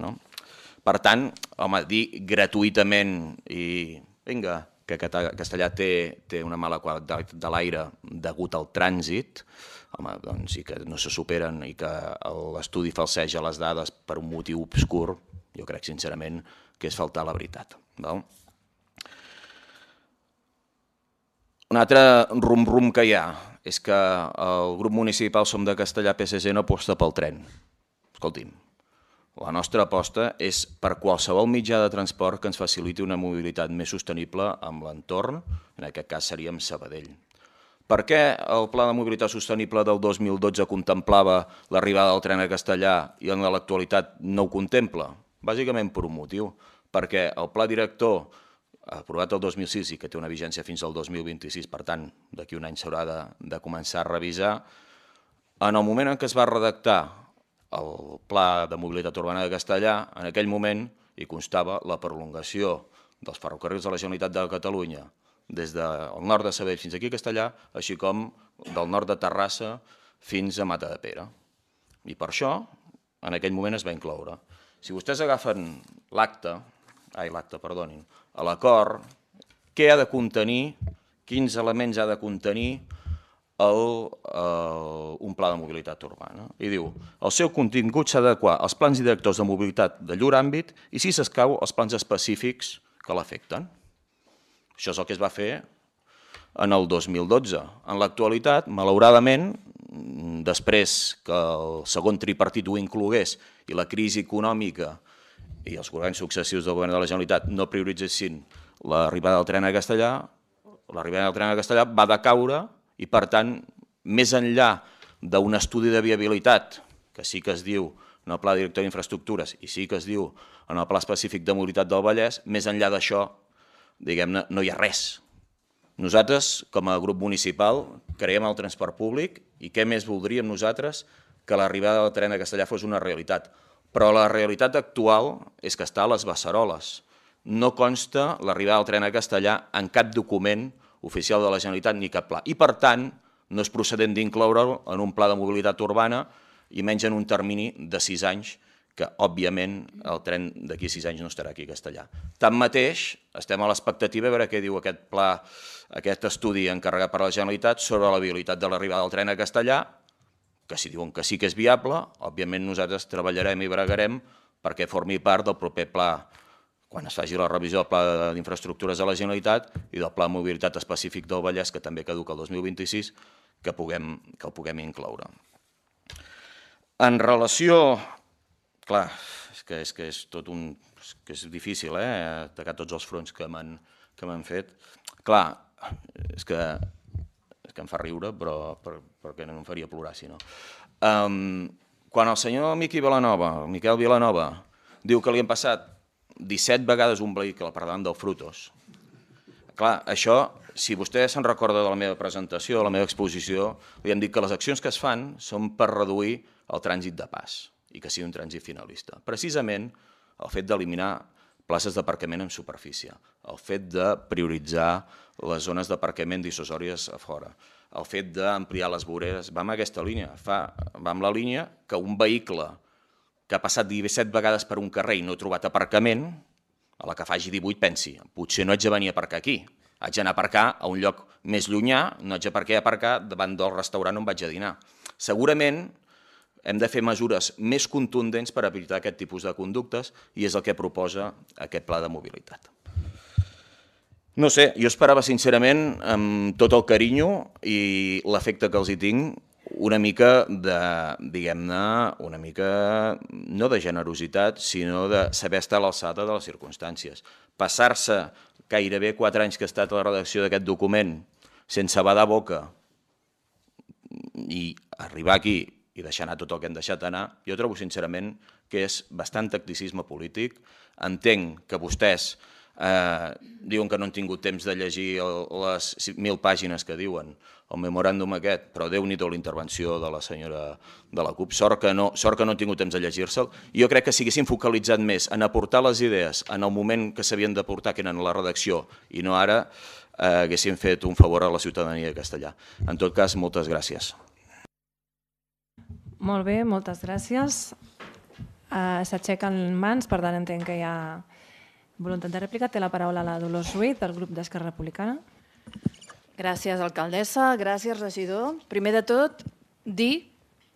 Per tant, home, dir gratuïtament i vinga, que Castellar té una mala qualitat de l'aire degut al trànsit, home, doncs, i que no se superen i que l'estudi falseja les dades per un motiu obscur, jo crec sincerament que és faltar a la veritat. Un altre rum-rum que hi ha és que el grup municipal Som de Castellar PSC no aposta pel tren. Escolti'm, la nostra aposta és per qualsevol mitjà de transport que ens faciliti una mobilitat més sostenible amb l'entorn, en aquest cas seria amb Sabadell. Per què el Pla de Mobilitat Sostenible del 2012 contemplava l'arribada del tren a Castellar i en l'actualitat no ho contempla? Bàsicament per un motiu, perquè el pla director aprovat el 2006 i que té una vigència fins al 2026, per tant, d'aquí un any s'haurà de començar a revisar, en el moment en què es va redactar el Pla de Mobilitat Urbana de Castellar, en aquell moment hi constava la prolongació dels ferrocarrils de la Generalitat de Catalunya des del nord de Sabadell fins aquí a Castellar, així com del nord de Terrassa fins a Matadepera. I per això, en aquell moment es va incloure. Si vostès agafen l'acord, què ha de contenir, quins elements ha de contenir un pla de mobilitat urbana. I diu, el seu contingut s'ha d'adequar als plans directors de mobilitat de llur àmbit i, si s'escau, als plans específics que l'afecten. Això és el que es va fer en el 2012. En l'actualitat, malauradament, després que el segon tripartit ho inclogués i la crisi econòmica i els governs successius del govern de la Generalitat no prioritzessin l'arribada del tren a Castellar, l'arribada del tren a Castellar va decaure i, per tant, més enllà d'un estudi de viabilitat, que sí que es diu en el Pla Director d'Infraestructures i sí que es diu en el Pla Específic de Mobilitat del Vallès, més enllà d'això, diguem-ne, no hi ha res. Nosaltres, com a grup municipal, creiem el transport públic i què més voldríem nosaltres que l'arribada del tren a Castellar fos una realitat. Però la realitat actual és que està a les beceroles. No consta l'arribada del tren a Castellar en cap document oficial de la Generalitat ni cap pla. I, per tant, no és procedent d'incloure'l en un pla de mobilitat urbana i menys en un termini de 6 anys, que, òbviament, el tren d'aquí a 6 anys no estarà aquí a Castellar. Tanmateix, estem a l'expectativa de veure què diu aquest pla, aquest estudi encarregat per la Generalitat sobre la viabilitat de l'arribada del tren a Castellar, que si diuen que sí que és viable, òbviament nosaltres treballarem i bregarem perquè formi part del proper pla, quan es faci la revisió del Pla d'Infraestructures de la Generalitat i del Pla de Mobilitat Específic del Vallès, que també caduca el 2026, que el puguem incloure. En relació... Clar, és que és tot un... que és difícil, atacar tots els fronts que m'han fet. Clar, és que em fa riure, però perquè no em faria plorar, si no. Quan el senyor Miquel Vilanova, diu que li han passat 17 vegades un vehicle per davant del Frutos, clar, això, si vostè se'n recorda de la meva presentació, de la meva exposició, li hem dit que les accions que es fan són per reduir el trànsit de pas i que sigui un trànsit finalista. Precisament el fet d'eliminar places d'aparcament en superfície, el fet de prioritzar les zones d'aparcament dissuasòries a fora, el fet d'ampliar les voreres, va en aquesta línia, va en la línia que un vehicle que ha passat 17 vegades per un carrer i no ha trobat aparcament, a la que faci 18 pensi, potser no haig de venir a aparcar aquí, haig d'anar a aparcar a un lloc més llunyà, no haig de aparcar davant del restaurant on vaig a dinar. Segurament hem de fer mesures més contundents per evitar aquest tipus de conductes i és el que proposa aquest pla de mobilitat. No sé, jo esperava sincerament, amb tot el carinyo i l'afecte que els hi tinc, una mica de, diguem-ne, una mica no de generositat, sinó de saber estar a l'alçada de les circumstàncies. Passar-se gairebé 4 anys que ha estat a la redacció d'aquest document sense badar boca i arribar aquí i deixar anar tot el que hem deixat anar, jo trobo sincerament que és bastant tacticisme polític. Entenc que vostès diuen que no han tingut temps de llegir les 1.000 pàgines que diuen, el memoràndum aquest, però Déu-n'hi-do la intervenció de la senyora de la CUP, sort que no han tingut temps de llegir-se'l. Jo crec que si haguessin focalitzat més en aportar les idees en el moment que s'havien d'aportar, que eren la redacció, i no ara, haguessin fet un favor a la ciutadania de Castellà. En tot cas, moltes gràcies. Molt bé, moltes gràcies. S'aixequen mans, per tant entenc que hi ha voluntat de rèplica. Té la paraula la Dolors Ruiz, del grup d'Esquerra Republicana. Gràcies, alcaldessa. Gràcies, regidor. Primer de tot, dir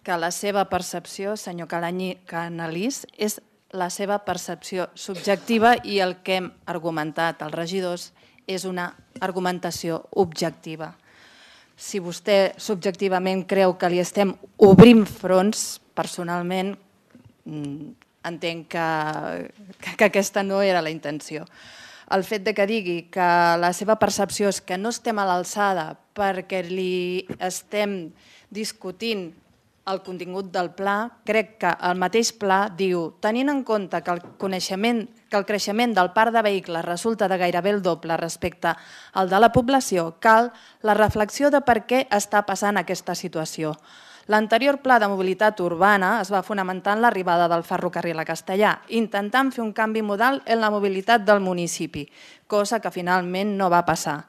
que la seva percepció, senyor Canalís, és la seva percepció subjectiva i el que hem argumentat els regidors és una argumentació objectiva. Si vostè subjectivament creu que li estem obrint fronts, personalment entenc que aquesta no era la intenció. El fet que digui que la seva percepció és que no estem a l'alçada perquè li estem discutint el contingut del pla, crec que el mateix pla diu, tenint en compte que el creixement del parc de vehicles resulta de gairebé el doble respecte al de la població, cal la reflexió de per què està passant aquesta situació. L'anterior pla de mobilitat urbana es va fonamentar en l'arribada del ferrocarril a Castellà, intentant fer un canvi modal en la mobilitat del municipi, cosa que finalment no va passar.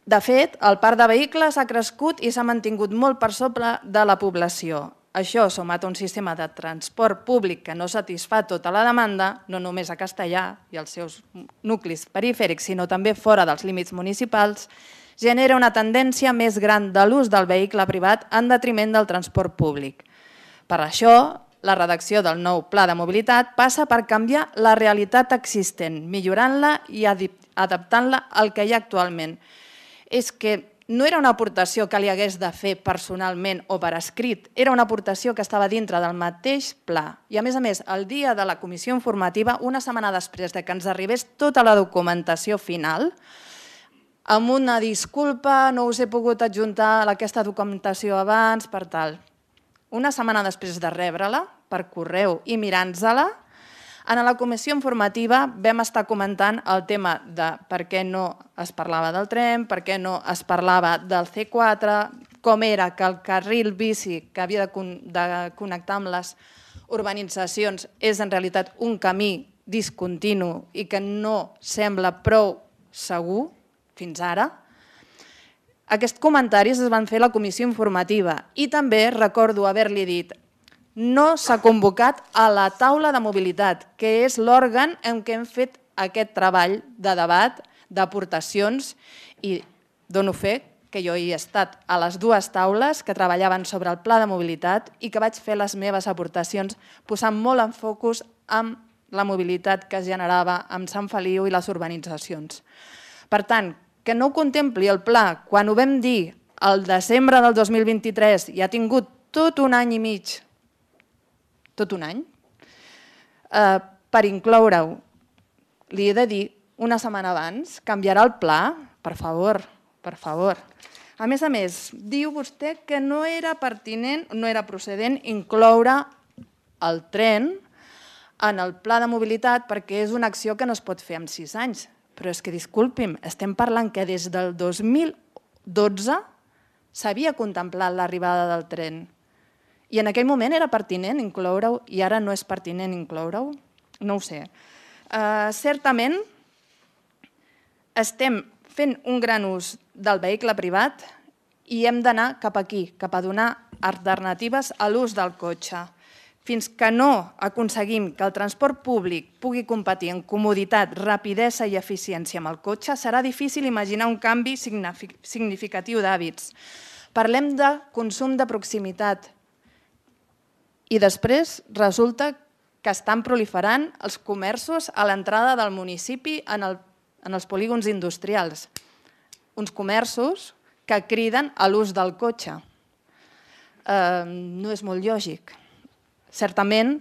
De fet, el parc de vehicles ha crescut i s'ha mantingut molt per sobre de la població. Això, sumat a un sistema de transport públic que no satisfà tota la demanda, no només a Castellà i als seus nuclis perifèrics, sinó també fora dels límits municipals, genera una tendència més gran de l'ús del vehicle privat en detriment del transport públic. Per això, la redacció del nou pla de mobilitat passa per canviar la realitat existent, millorant-la i adaptant-la al que hi ha actualment. És que no era una aportació que li hagués de fer personalment o per escrit, era una aportació que estava dintre del mateix pla. I a més, el dia de la comissió informativa, una setmana després que ens arribés tota la documentació final, amb una disculpa, no us he pogut adjuntar aquesta documentació abans, per tal. Una setmana després de rebre-la, per correu i mirant-se-la, en la comissió informativa vam estar comentant el tema de per què no es parlava del tren, per què no es parlava del C4, com era que el carril bici que havia de connectar amb les urbanitzacions és en realitat un camí discontinu i que no sembla prou segur, fins ara. Aquests comentaris es van fer a la comissió informativa i també recordo haver-li dit no s'ha convocat a la taula de mobilitat, que és l'òrgan en què hem fet aquest treball de debat, d'aportacions i dono fe que jo hi he estat a les dues taules que treballaven sobre el pla de mobilitat i que vaig fer les meves aportacions posant molt en focus amb la mobilitat que es generava amb Sant Feliu i les urbanitzacions. Per tant, que no ho contempli el pla quan ho vam dir al desembre del 2023 i ha tingut tot un any i mig, tot un any, per incloure-ho, li he de dir una setmana abans, canviarà el pla? Per favor, per favor. A més, diu vostè que no era pertinent, no era procedent incloure el tren en el pla de mobilitat perquè és una acció que no es pot fer en 6 anys. Però és que, disculpi'm, estem parlant que des del 2012 s'havia contemplat l'arribada del tren. I en aquell moment era pertinent incloure-ho i ara no és pertinent incloure-ho? No ho sé. Certament, estem fent un gran ús del vehicle privat i hem d'anar cap aquí, cap a donar alternatives a l'ús del cotxe. Fins que no aconseguim que el transport públic pugui competir en comoditat, rapidesa i eficiència amb el cotxe, serà difícil imaginar un canvi significatiu d'hàbits. Parlem de consum de proximitat i després resulta que estan proliferant els comerços a l'entrada del municipi en els polígons industrials. Uns comerços que criden a l'ús del cotxe. No és molt lògic. Certament,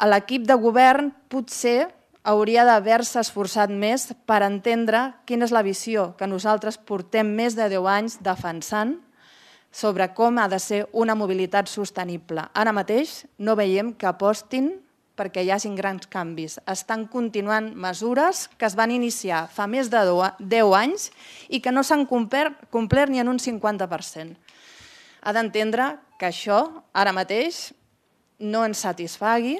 l'equip de govern potser hauria d'haver-se esforçat més per entendre quina és la visió que nosaltres portem més de 10 anys defensant sobre com ha de ser una mobilitat sostenible. Ara mateix no veiem que apostin perquè hi hagin grans canvis. Estan continuant mesures que es van iniciar fa més de 10 anys i que no s'han complert ni en un 50%. Ha d'entendre que això ara mateix no ens satisfagui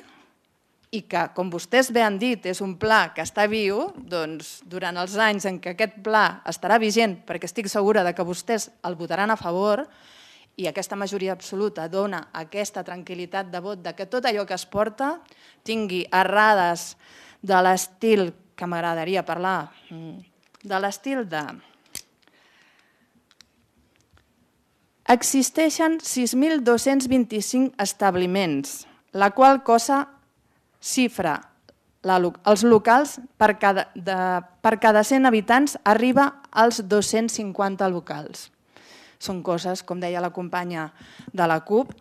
i que, com vostès bé han dit, és un pla que està viu, doncs durant els anys en què aquest pla estarà vigent, perquè estic segura que vostès el votaran a favor, i aquesta majoria absoluta dona aquesta tranquil·litat de vot que tot allò que es porta tingui errades de l'estil, que m'agradaria parlar, de l'estil de... Existeixen 6.225 establiments, la qual cosa xifra els locals per cada 100 habitants arriba als 250 locals. Són coses, com deia la companya de la CUP,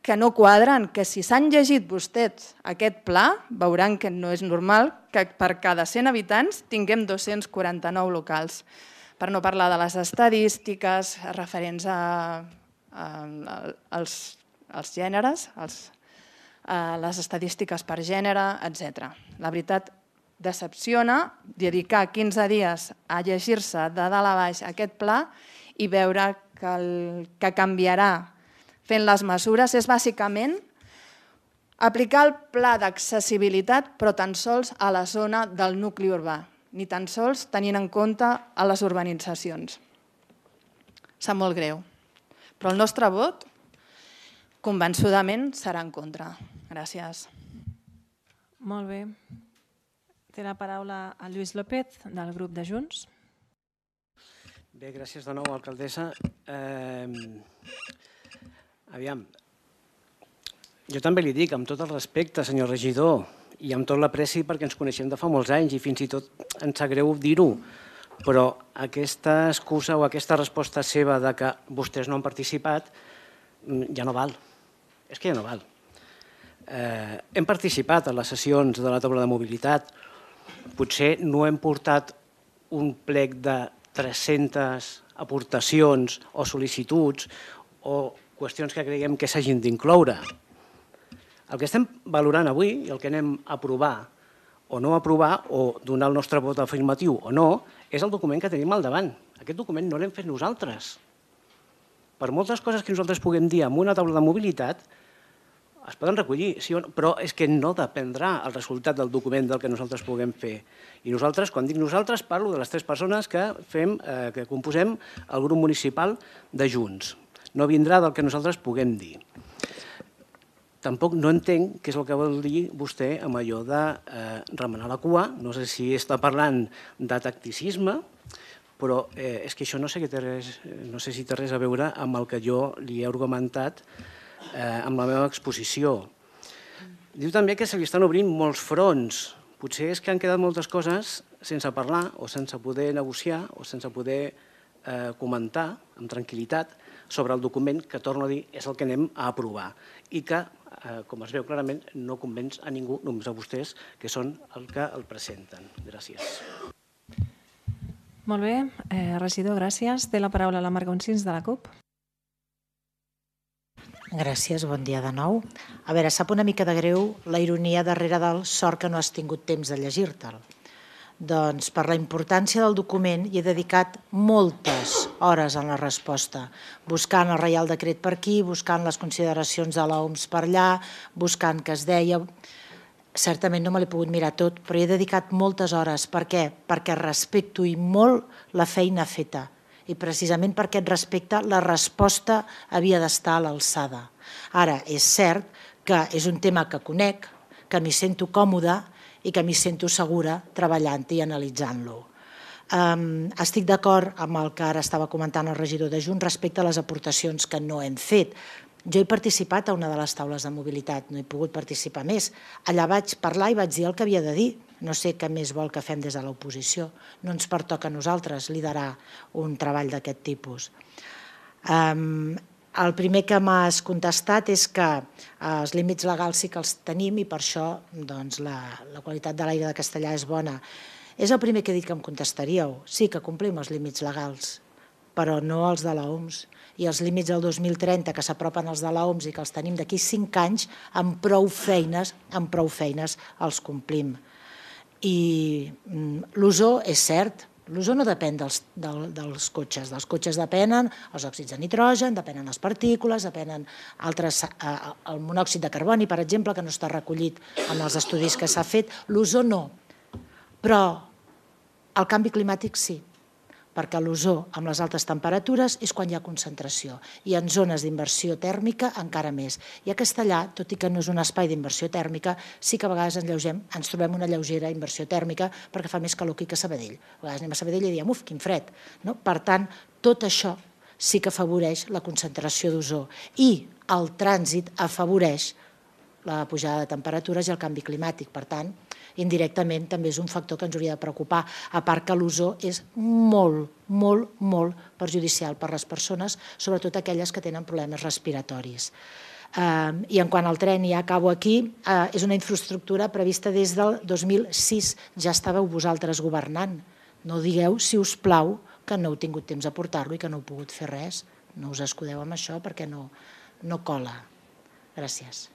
que no quadren, que si s'han llegit vostès aquest pla, veuran que no és normal que per cada 100 habitants tinguem 249 locals. Per no parlar de les estadístiques referents als gèneres, les estadístiques per gènere, etc. La veritat, decepciona dedicar 15 dies a llegir-se de dalt a baix aquest pla i veure que el que canviarà fent les mesures és bàsicament aplicar el pla d'accessibilitat però tan sols a la zona del nucli urbà, ni tan sols tenint en compte a les urbanitzacions. Sap molt greu, però el nostre vot convençudament serà en contra. Gràcies. Molt bé. Té la paraula el Lluís López, del grup de Junts. Bé, gràcies de nou, alcaldessa. Aviam, jo també li dic, amb tot el respecte, senyor regidor, i amb tot l'apreci perquè ens coneixem de fa molts anys i fins i tot ens sap greu dir-ho, però aquesta excusa o aquesta resposta seva de que vostès no han participat ja no val. És que ja no val. Hem participat en les sessions de la taula de mobilitat. Potser no hem portat un plec de 300 aportacions o sol·licituds o qüestions que creiem que s'hagin d'incloure. El que estem valorant avui i el que anem a aprovar o no aprovar o donar el nostre vot afirmatiu o no és el document que tenim al davant. Aquest document no l'hem fet nosaltres. Per moltes coses que nosaltres puguem dir en una taula de mobilitat es poden recollir, sí o no, però és que no dependrà el resultat del document del que nosaltres puguem fer. I nosaltres, quan dic nosaltres, parlo de les 3 persones que composem el grup municipal de Junts. No vindrà del que nosaltres puguem dir. Tampoc no entenc què és el que vol dir vostè amb allò de remenar la cua. No sé si està parlant de tacticisme, però és que això no sé si té res a veure amb el que jo li he argumentat amb la meva exposició. Diu també que se li estan obrint molts fronts. Potser és que han quedat moltes coses sense parlar o sense poder negociar o sense poder comentar amb tranquil·litat sobre el document que, torno a dir, és el que anem a aprovar i que, com es veu clarament, no convenç a ningú, només a vostès, que són el que el presenten. Gràcies. Molt bé. Regidor, gràcies. Té la paraula la Marc Onsins de la CUP. Gràcies, bon dia de nou. A veure, sap una mica de greu la ironia darrere del sort que no has tingut temps de llegir-te'l. Doncs per la importància del document hi he dedicat moltes hores en la resposta, buscant el Reial Decret per aquí, buscant les consideracions de l'OMS per allà, buscant què es deia. Certament no me l'he pogut mirar tot, però hi he dedicat moltes hores. Per què? Perquè respecto i molt la feina feta. I precisament per aquest respecte la resposta havia d'estar a l'alçada. Ara, és cert que és un tema que conec, que m'hi sento còmoda i que m'hi sento segura treballant-hi i analitzant-lo. Estic d'acord amb el que ara estava comentant el regidor de Junts respecte a les aportacions que no hem fet. Jo he participat a una de les taules de mobilitat, no he pogut participar més. Allà vaig parlar i vaig dir el que havia de dir. No sé què més vol que fem des de l'oposició. No ens pertoca a nosaltres liderar un treball d'aquest tipus. El primer que m'has contestat és que els límits legals sí que els tenim i per això la qualitat de l'aire de Castellà és bona. És el primer que he dit que em contestaríeu. Sí que complim els límits legals, però no els de l'OMS. I els límits del 2030 que s'apropen als de l'OMS i que els tenim d'aquí 5 anys, amb prou feines els complim. I l'ozó és cert, l'ozó no depèn dels cotxes. Dels cotxes depenen els òxids de nitrogen, depenen les partícules, depenen el monòxid de carboni, per exemple, que no està recollit en els estudis que s'ha fet. L'ozó no, però el canvi climàtic sí, perquè l'ozó amb les altes temperatures és quan hi ha concentració i en zones d'inversió tèrmica encara més. I a Castellà, tot i que no és un espai d'inversió tèrmica, sí que a vegades ens trobem una lleugera inversió tèrmica perquè fa més calor aquí que a Sabadell. A vegades anem a Sabadell i diem, uf, quin fred. Per tant, tot això sí que afavoreix la concentració d'ozó i el trànsit afavoreix la pujada de temperatures i el canvi climàtic. Per tant, indirectament també és un factor que ens hauria de preocupar, a part que l'ozó és molt, molt, molt perjudicial per a les persones, sobretot aquelles que tenen problemes respiratoris. I en quant al tren, ja acabo aquí, és una infraestructura prevista des del 2006, ja estàveu vosaltres governant. No digueu, si us plau, que no heu tingut temps de portar-lo i que no heu pogut fer res. No us escudeu amb això perquè no cola. Gràcies.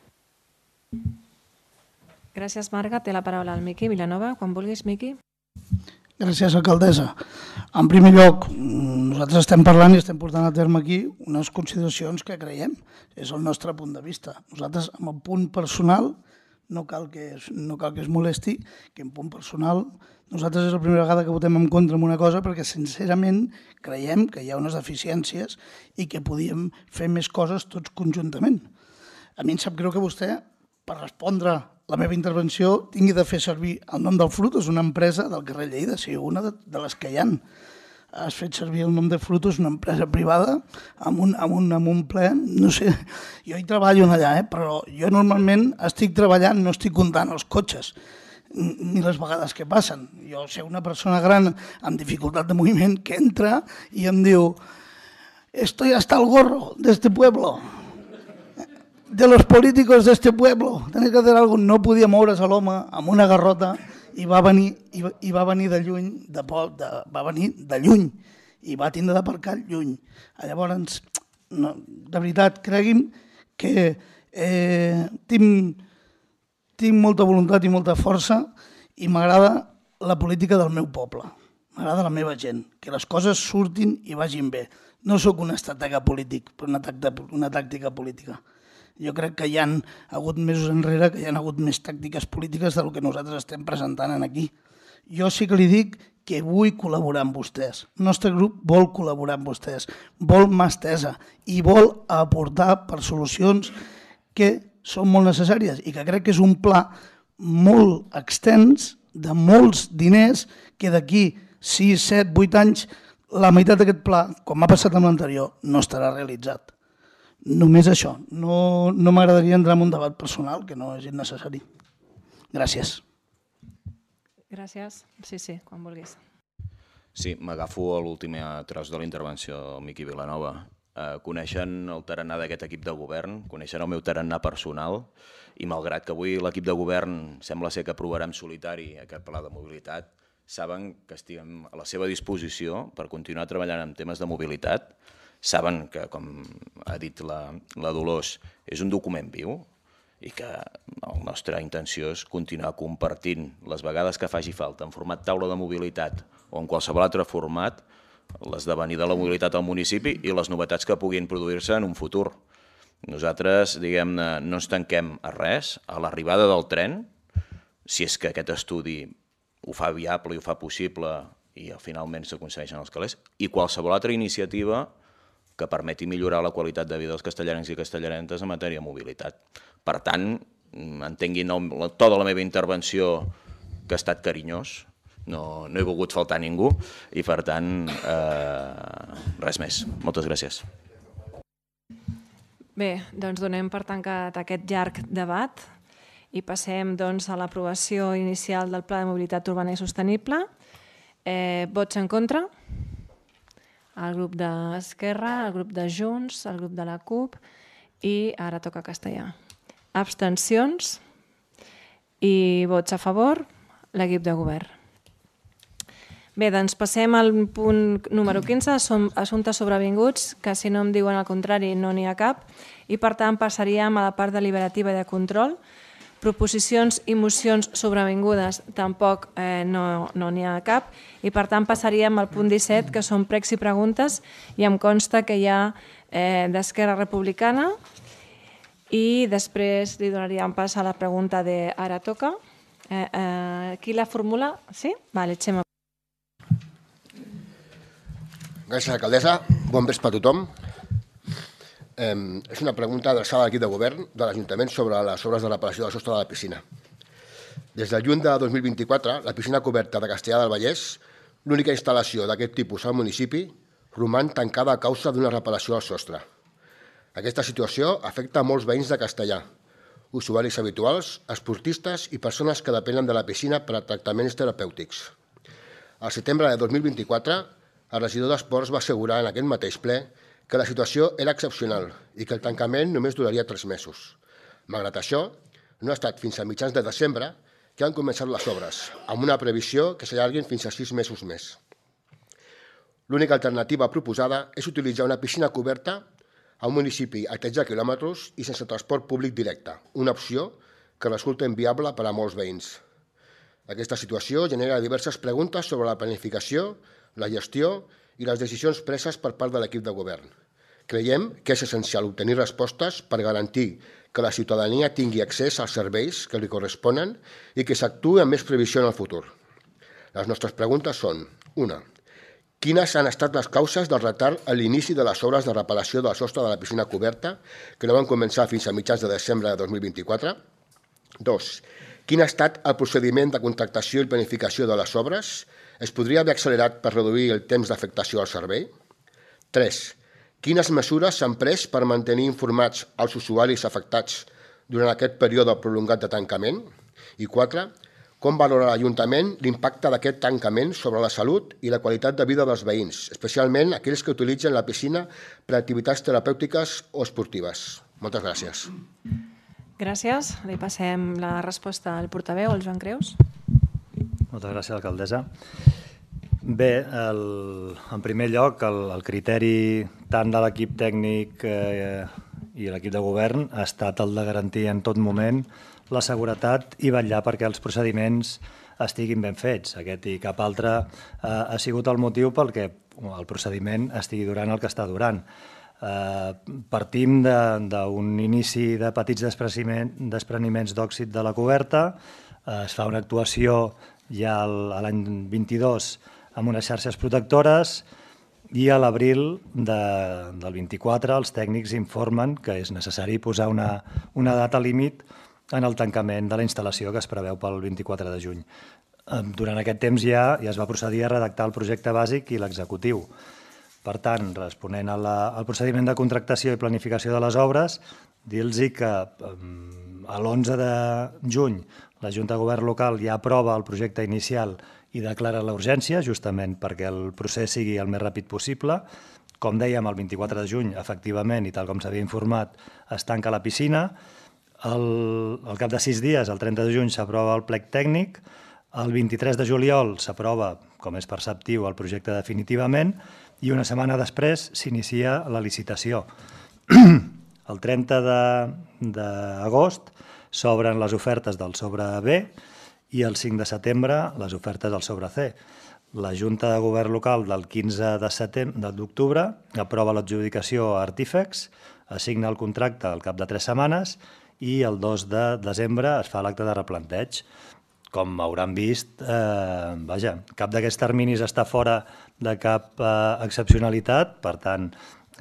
Gràcies, Marga. Té la paraula el Miqui Vilanova. Quan vulguis, Miqui. Gràcies, alcaldessa. En primer lloc, nosaltres estem parlant i estem portant a terme aquí unes consideracions que creiem. És el nostre punt de vista. Nosaltres, amb el punt personal, no cal que es molesti, que en punt personal nosaltres és la primera vegada que votem en contra en una cosa perquè sincerament creiem que hi ha unes deficiències i que podíem fer més coses tots conjuntament. A mi em sap greu que vostè, per respondre la meva intervenció, tingui de fer servir el nom del Frutos, una empresa del carrer Lleida, sí, una de les que hi ha. Has fet servir el nom de Frutos, una empresa privada, amb un ple, no sé, jo hi treballo allà, però jo normalment estic treballant, no estic comptant els cotxes, ni les vegades que passen. Jo sé una persona gran amb dificultat de moviment que entra i em diu «Estoy hasta el gorro de este pueblo». De los políticos de este pueblo, tenés que hacer algo. No podia moure's a l'home amb una garrota i va venir de lluny, va venir de lluny i va tindre d'aparcar lluny. Llavors, de veritat, cregui'm que tinc molta voluntat i molta força i m'agrada la política del meu poble, m'agrada la meva gent, que les coses surtin i vagin bé. No sóc un estratega polític, però una tàctica política. Jo crec que hi ha hagut mesos enrere que hi ha hagut més tàctiques polítiques del que nosaltres estem presentant aquí. Jo sí que li dic que vull col·laborar amb vostès. El nostre grup vol col·laborar amb vostès, vol mà estesa i vol aportar per solucions que són molt necessàries i que crec que és un pla molt extens de molts diners que d'aquí 6, 7, 8 anys la meitat d'aquest pla, com ha passat amb l'anterior, no estarà realitzat. Només això. No m'agradaria entrar en un debat personal, que no és innecessari. Gràcies. Gràcies. Sí, quan vulguis. Sí, m'agafo a l'últim tros de la intervenció del Miqui Vilanova. coneixen el tarannà d'aquest equip de govern, coneixen el meu tarannà personal i malgrat que avui l'equip de govern sembla ser que aprovarà en solitari aquest pla de mobilitat, saben que estem a la seva disposició per continuar treballant en temes de mobilitat. Saben que, com ha dit la Dolors, és un document viu i que la nostra intenció és continuar compartint les vegades que faci falta en format taula de mobilitat o en qualsevol altre format l'esdevenir de la mobilitat al municipi i les novetats que puguin produir-se en un futur. Nosaltres, diguem-ne, no ens tanquem a res. A l'arribada del tren, si és que aquest estudi ho fa viable i ho fa possible i finalment s'aconsegueixen els calés, i qualsevol altra iniciativa que permeti millorar la qualitat de vida dels castellarens i castellarentes en matèria de mobilitat. Per tant, entenguin el to de la meva intervenció que ha estat carinyós, no he volgut faltar a ningú i, per tant, res més. Moltes gràcies. Bé, doncs donem per tancat aquest llarg debat i passem a l'aprovació inicial del Pla de Mobilitat Urbana i Sostenible. Vots en contra? El grup d'Esquerra, el grup de Junts, el grup de la CUP i ara toca castellà. Abstencions i vots a favor, l'equip de govern. Bé, doncs passem al punt número 15, assumptes sobrevinguts, que si no em diuen el contrari no n'hi ha cap, i per tant passaríem a la part deliberativa i de control. Proposicions i mocions sobrevingudes tampoc no n'hi ha cap, i per tant passaríem al punt 17, que són pregs i preguntes, i em consta que hi ha d'Esquerra Republicana, i després li donaríem pas a la pregunta de Ara toca. Qui la formula? Sí? Vale, Xema. Gràcies, alcaldessa. Bon vespre a tothom. És una pregunta adreçada a l'equip de govern de l'Ajuntament sobre les obres de reparació del sostre de la piscina. Des del juny de 2024, la piscina coberta de Castellar del Vallès, l'única instal·lació d'aquest tipus al municipi, roman tancada a causa d'una reparació al sostre. Aquesta situació afecta a molts veïns de Castellar, usuaris habituals, esportistes i persones que depenen de la piscina per a tractaments terapèutics. Al setembre de 2024, el regidor d'Esports va assegurar en aquest mateix ple que la situació era excepcional i que el tancament només duraria 3 mesos. Malgrat això, no ha estat fins a mitjans de desembre que han començat les obres, amb una previsió que s'allarguin fins a 6 mesos més. L'única alternativa proposada és utilitzar una piscina coberta a un municipi a 13 quilòmetres i sense transport públic directe, una opció que resulta inviable per a molts veïns. Aquesta situació genera diverses preguntes sobre la planificació, la gestió i les decisions preses per part de l'equip de govern. Creiem que és essencial obtenir respostes per garantir que la ciutadania tingui accés als serveis que li corresponen i que s'actuï amb més previsió en el futur. Les nostres preguntes són: 1. Quines han estat les causes del retard a l'inici de les obres de reparació del sostre de la piscina coberta, que no van començar fins a mitjans de desembre de 2024? 2. Quin ha estat el procediment de contractació i planificació de les obres? Es podria haver accelerat per reduir el temps d'afectació al servei? 3. Quines mesures s'han pres per mantenir informats els usuaris afectats durant aquest període prolongat de tancament? I 4. Com valora l'Ajuntament l'impacte d'aquest tancament sobre la salut i la qualitat de vida dels veïns, especialment aquells que utilitzen la piscina per a activitats terapèutiques o esportives? Moltes gràcies. Gràcies. Li passem la resposta al portaveu, el Joan Creus. Moltes gràcies, alcaldessa. Bé, en primer lloc, el criteri tant de l'equip tècnic i l'equip de govern ha estat el de garantir en tot moment la seguretat i vetllar perquè els procediments estiguin ben fets. Aquest i cap altre ha sigut el motiu pel que el procediment estigui durant el que està durant. Partim d'un inici de petits despreniments d'òxid de la coberta, es fa una actuació ja l'any 22 amb unes xarxes protectores i a l'abril del 24 els tècnics informen que és necessari posar una data límit en el tancament de la instal·lació que es preveu pel 24 de juny. Durant aquest temps ja es va procedir a redactar el projecte bàsic i l'executiu. Per tant, responent al procediment de contractació i planificació de les obres, dir-los que l'11 de juny la Junta de Govern local ja aprova el projecte inicial i declara la urgència, justament perquè el procés sigui el més ràpid possible, Com dèiem, el 24 de juny, efectivament, i tal com s'havia informat, es tanca la piscina. Al cap de 6 dies, el 30 de juny, s'aprova el plec tècnic. El 23 de juliol s'aprova, com és perceptiu, el projecte definitivament i una setmana després s'inicia la licitació. El 30 d'agost s'obren les ofertes del sobre B i el 5 de setembre les ofertes del sobre C. La Junta de Govern Local del 15 d'octubre aprova l'adjudicació a Artífex, assigna el contracte al cap de 3 setmanes i el 2 de desembre es fa l'acte de replanteig. Com hauran vist, cap d'aquests terminis està fora de cap excepcionalitat, per tant,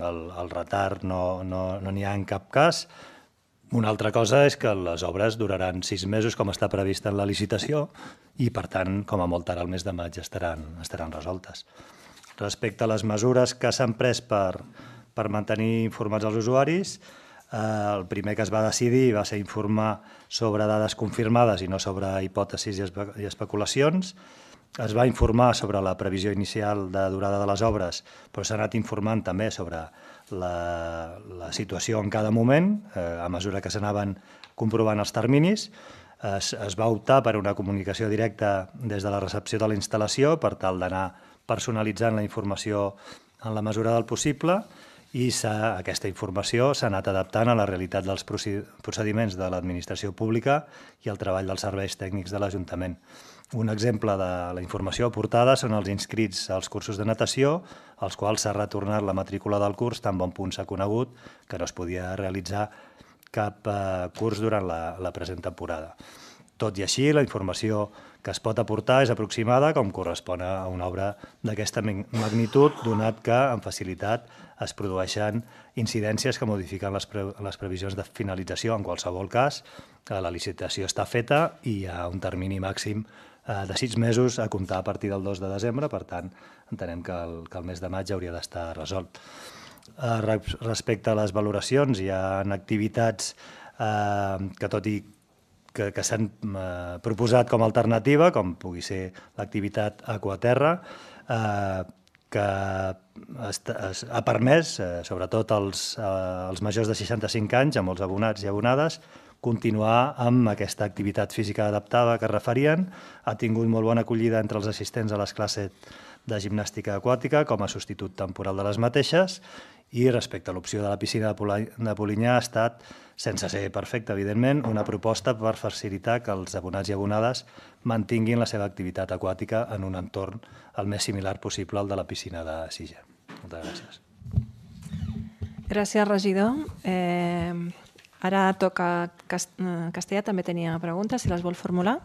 el retard no n'hi ha en cap cas. Una altra cosa és que les obres duraran 6 mesos, com està previst en la licitació, i, per tant, com a molt tard, al mes de maig estaran resoltes. Respecte a les mesures que s'han pres per mantenir informats els usuaris, el primer que es va decidir va ser informar sobre dades confirmades i no sobre hipòtesis i especulacions. Es va informar sobre la previsió inicial de durada de les obres, però s'ha anat informant també sobre la situació en cada moment, a mesura que s'anaven comprovant els terminis. Es va optar per una comunicació directa des de la recepció de la instal·lació per tal d'anar personalitzant la informació en la mesura del possible i aquesta informació s'ha anat adaptant a la realitat dels procediments de l'administració pública i el treball dels serveis tècnics de l'Ajuntament. Un exemple de la informació aportada són els inscrits als cursos de natació, als quals s'ha retornat la matrícula del curs tan bon punt s'ha conegut que no es podia realitzar cap curs durant la present temporada. Tot i així, la informació que es pot aportar és aproximada com correspon a una obra d'aquesta magnitud, donat que amb facilitat es produeixen incidències que modifiquen les previsions de finalització. En qualsevol cas, la licitació està feta i hi ha un termini màxim de 6 mesos a comptar a partir del 2 de desembre, per tant, entenem que el mes de maig hauria d'estar resolt. Respecte a les valoracions, hi ha activitats que, tot i que s'han proposat com a alternativa, com pugui ser l'activitat aquaterra, que ha permès, sobretot als majors de 65 anys, amb els abonats i abonades, continuar amb aquesta activitat física adaptada que referien. Ha tingut molt bona acollida entre els assistents a les classes de gimnàstica aquàtica com a substitut temporal de les mateixes, i respecte a l'opció de la piscina de Polinyà ha estat, sense ser perfecta, evidentment, una proposta per facilitar que els abonats i abonades mantinguin la seva activitat aquàtica en un entorn el més similar possible al de la piscina de Sitges. Moltes gràcies. Gràcies, regidor. Ara toca Castellà, també tenia preguntes, si les vol formular.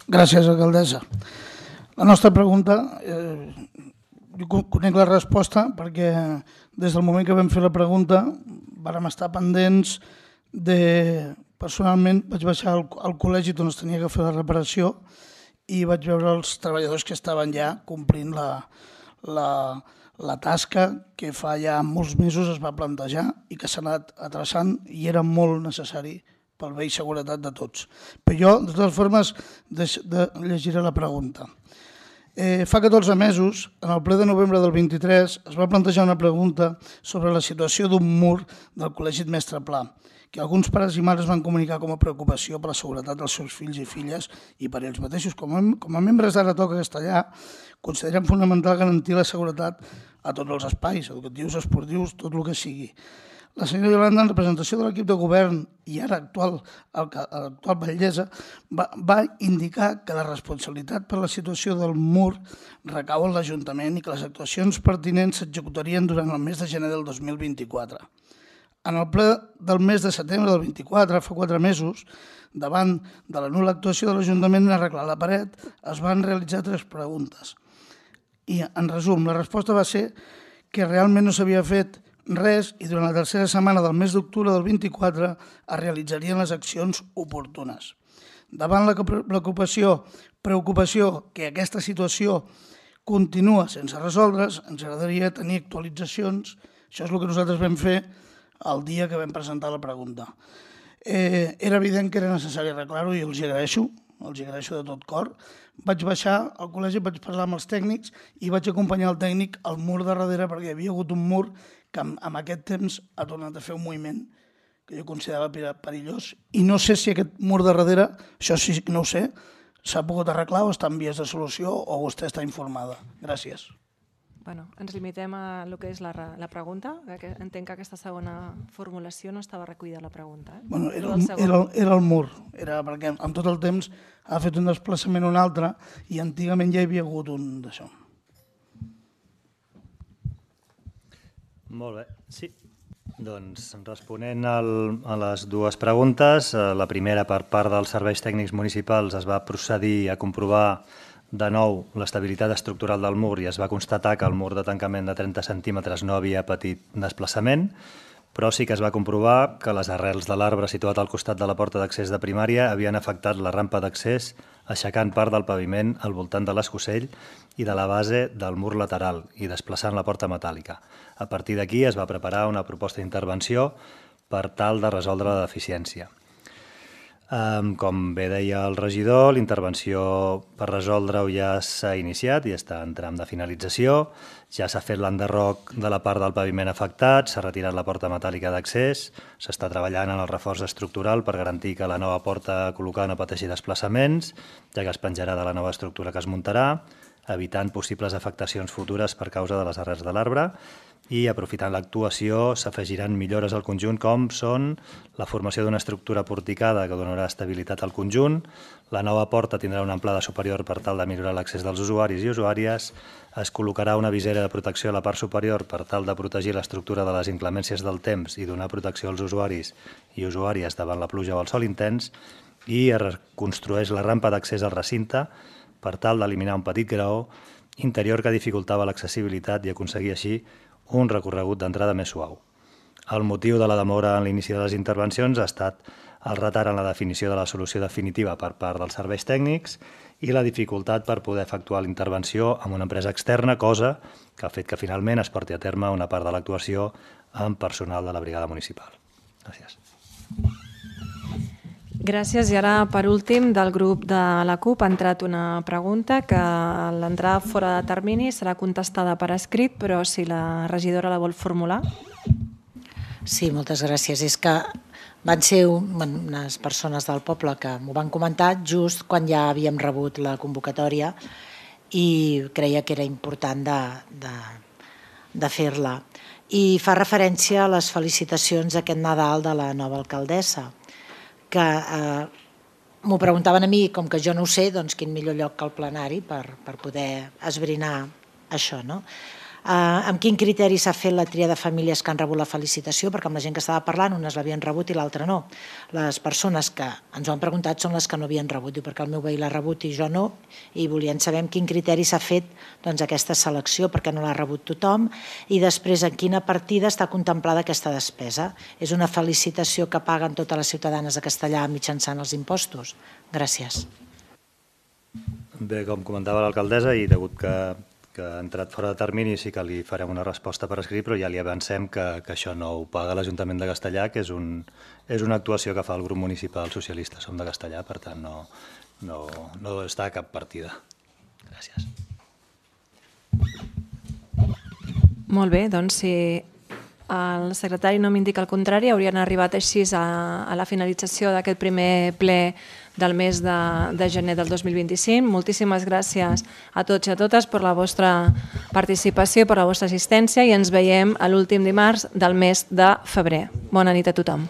Gràcies, alcaldessa. La nostra pregunta, jo conec la resposta perquè des del moment que vam fer la pregunta vàrem estar pendents de... Personalment vaig baixar al col·legi on es tenia que fer la reparació i vaig veure els treballadors que estaven ja complint la tasca que fa ja molts mesos es va plantejar i que s'ha anat atrasant i era molt necessari pel bé i seguretat de tots. Però jo, de totes formes, llegiré la pregunta. Fa 14 mesos, en el ple de novembre del 23, es va plantejar una pregunta sobre la situació d'un mur del Col·legi Mestre Pla, que alguns pares i mares van comunicar com a preocupació per la seguretat dels seus fills i filles i per ells mateixos. Com a membres d'Ara Toca Castellà, considerem fonamental garantir la seguretat a tots els espais, educatius, esportius, tot el que sigui. La senyora Iolanda, en representació de l'equip de govern i ara actual batllessa, va indicar que la responsabilitat per la situació del mur recau en l'Ajuntament i que les actuacions pertinents s'executarien durant el mes de gener del 2024. En el ple del mes de setembre del 24, fa 4 mesos, davant de la nul·la actuació de l'Ajuntament en arreglar la paret, es van realitzar 3 preguntes. I, en resum, la resposta va ser que realment no s'havia fet res i durant la tercera setmana del mes d'octubre del 24 es realitzarien les accions oportunes. Davant la preocupació que aquesta situació continua sense resoldre's, ens agradaria tenir actualitzacions. Això és el que nosaltres vam fer el dia que vam presentar la pregunta. Era evident que era necessari arreglar-ho i els agraeixo els agraeixo de tot cor. Vaig baixar al col·legi, vaig parlar amb els tècnics i vaig acompanyar el tècnic al mur de darrere perquè hi havia hagut un mur que amb aquest temps ha tornat a fer un moviment que jo considerava perillós. I no sé si aquest mur de darrere, això sí que no ho sé, s'ha pogut arreglar o està en vies de solució o vostè està informada. Gràcies. Ens limitem a el que és la pregunta. Entenc que aquesta segona formulació no estava recollida a la pregunta. Era el mur, perquè amb tot el temps ha fet un desplaçament un altre i antigament ja hi havia hagut un d'això. Molt bé, sí. Doncs responent a les dues preguntes, la primera per part dels serveis tècnics municipals es va procedir a comprovar de nou l'estabilitat estructural del mur i es va constatar que el mur de tancament de 30 centímetres no havia patit desplaçament, però sí que es va comprovar que les arrels de l'arbre situat al costat de la porta d'accés de primària havien afectat la rampa d'accés, aixecant part del paviment al voltant de l'escosell i de la base del mur lateral i desplaçant la porta metàl·lica. A partir d'aquí es va preparar una proposta d'intervenció per tal de resoldre la deficiència. Com bé deia el regidor, l'intervenció per resoldre-ho ja s'ha iniciat i està en tram de finalització. Ja s'ha fet l'enderroc de la part del paviment afectat, s'ha retirat la porta metàl·lica d'accés, s'està treballant en el reforç estructural per garantir que la nova porta col·locada no pateixi desplaçaments, ja que es penjarà de la nova estructura que es muntarà, evitant possibles afectacions futures per causa de les arrels de l'arbre, i aprofitant l'actuació s'afegiran millores al conjunt com són la formació d'una estructura porticada que donarà estabilitat al conjunt, la nova porta tindrà una amplada superior per tal de millorar l'accés dels usuaris i usuàries, es col·locarà una visera de protecció a la part superior per tal de protegir l'estructura de les inclemències del temps i donar protecció als usuaris i usuàries davant la pluja o el sol intens, i es reconstrueix la rampa d'accés al recinte per tal d'eliminar un petit graó interior que dificultava l'accessibilitat i aconseguir així un recorregut d'entrada més suau. El motiu de la demora en l'inici de les intervencions ha estat el retard en la definició de la solució definitiva per part dels serveis tècnics i la dificultat per poder efectuar la intervenció amb una empresa externa, cosa que ha fet que finalment es porti a terme una part de l'actuació amb personal de la brigada municipal. Gràcies. Gràcies. I ara, per últim, del grup de la CUP ha entrat una pregunta que l'entrada fora de termini serà contestada per escrit, però si la regidora la vol formular. Sí, moltes gràcies. És que van ser unes persones del poble que m'ho van comentar just quan ja havíem rebut la convocatòria i creia que era important de fer-la. I fa referència a les felicitacions aquest Nadal de la nova alcaldessa, que m'ho preguntaven a mi, com que jo no ho sé, doncs quin millor lloc que el plenari per poder esbrinar això, no? Amb quin criteri s'ha fet la tria de famílies que han rebut la felicitació? Perquè amb la gent que estava parlant, unes l'havien rebut i l'altra no. Les persones que ens ho han preguntat són les que no havien rebut, perquè el meu veí l'ha rebut i jo no, i volien saber amb quin criteri s'ha fet aquesta selecció, perquè no l'ha rebut tothom, i després en quina partida està contemplada aquesta despesa. És una felicitació que paguen totes les ciutadanes de Castellà mitjançant els impostos? Gràcies. Bé, com comentava l'alcaldessa, i degut que ha entrat fora de termini, sí que li farem una resposta per escrit, però ja li avancem que això no ho paga l'Ajuntament de Castellà, que és una actuació que fa el grup municipal socialista. Som de Castellà, per tant no està a cap partida. Gràcies. Molt bé, doncs si el secretari no m'indica el contrari, haurien arribat així a la finalització d'aquest primer ple del mes de gener del 2025. Moltíssimes gràcies a tots i a totes per la vostra participació, per la vostra assistència i ens veiem l'últim dimarts del mes de febrer. Bona nit a tothom.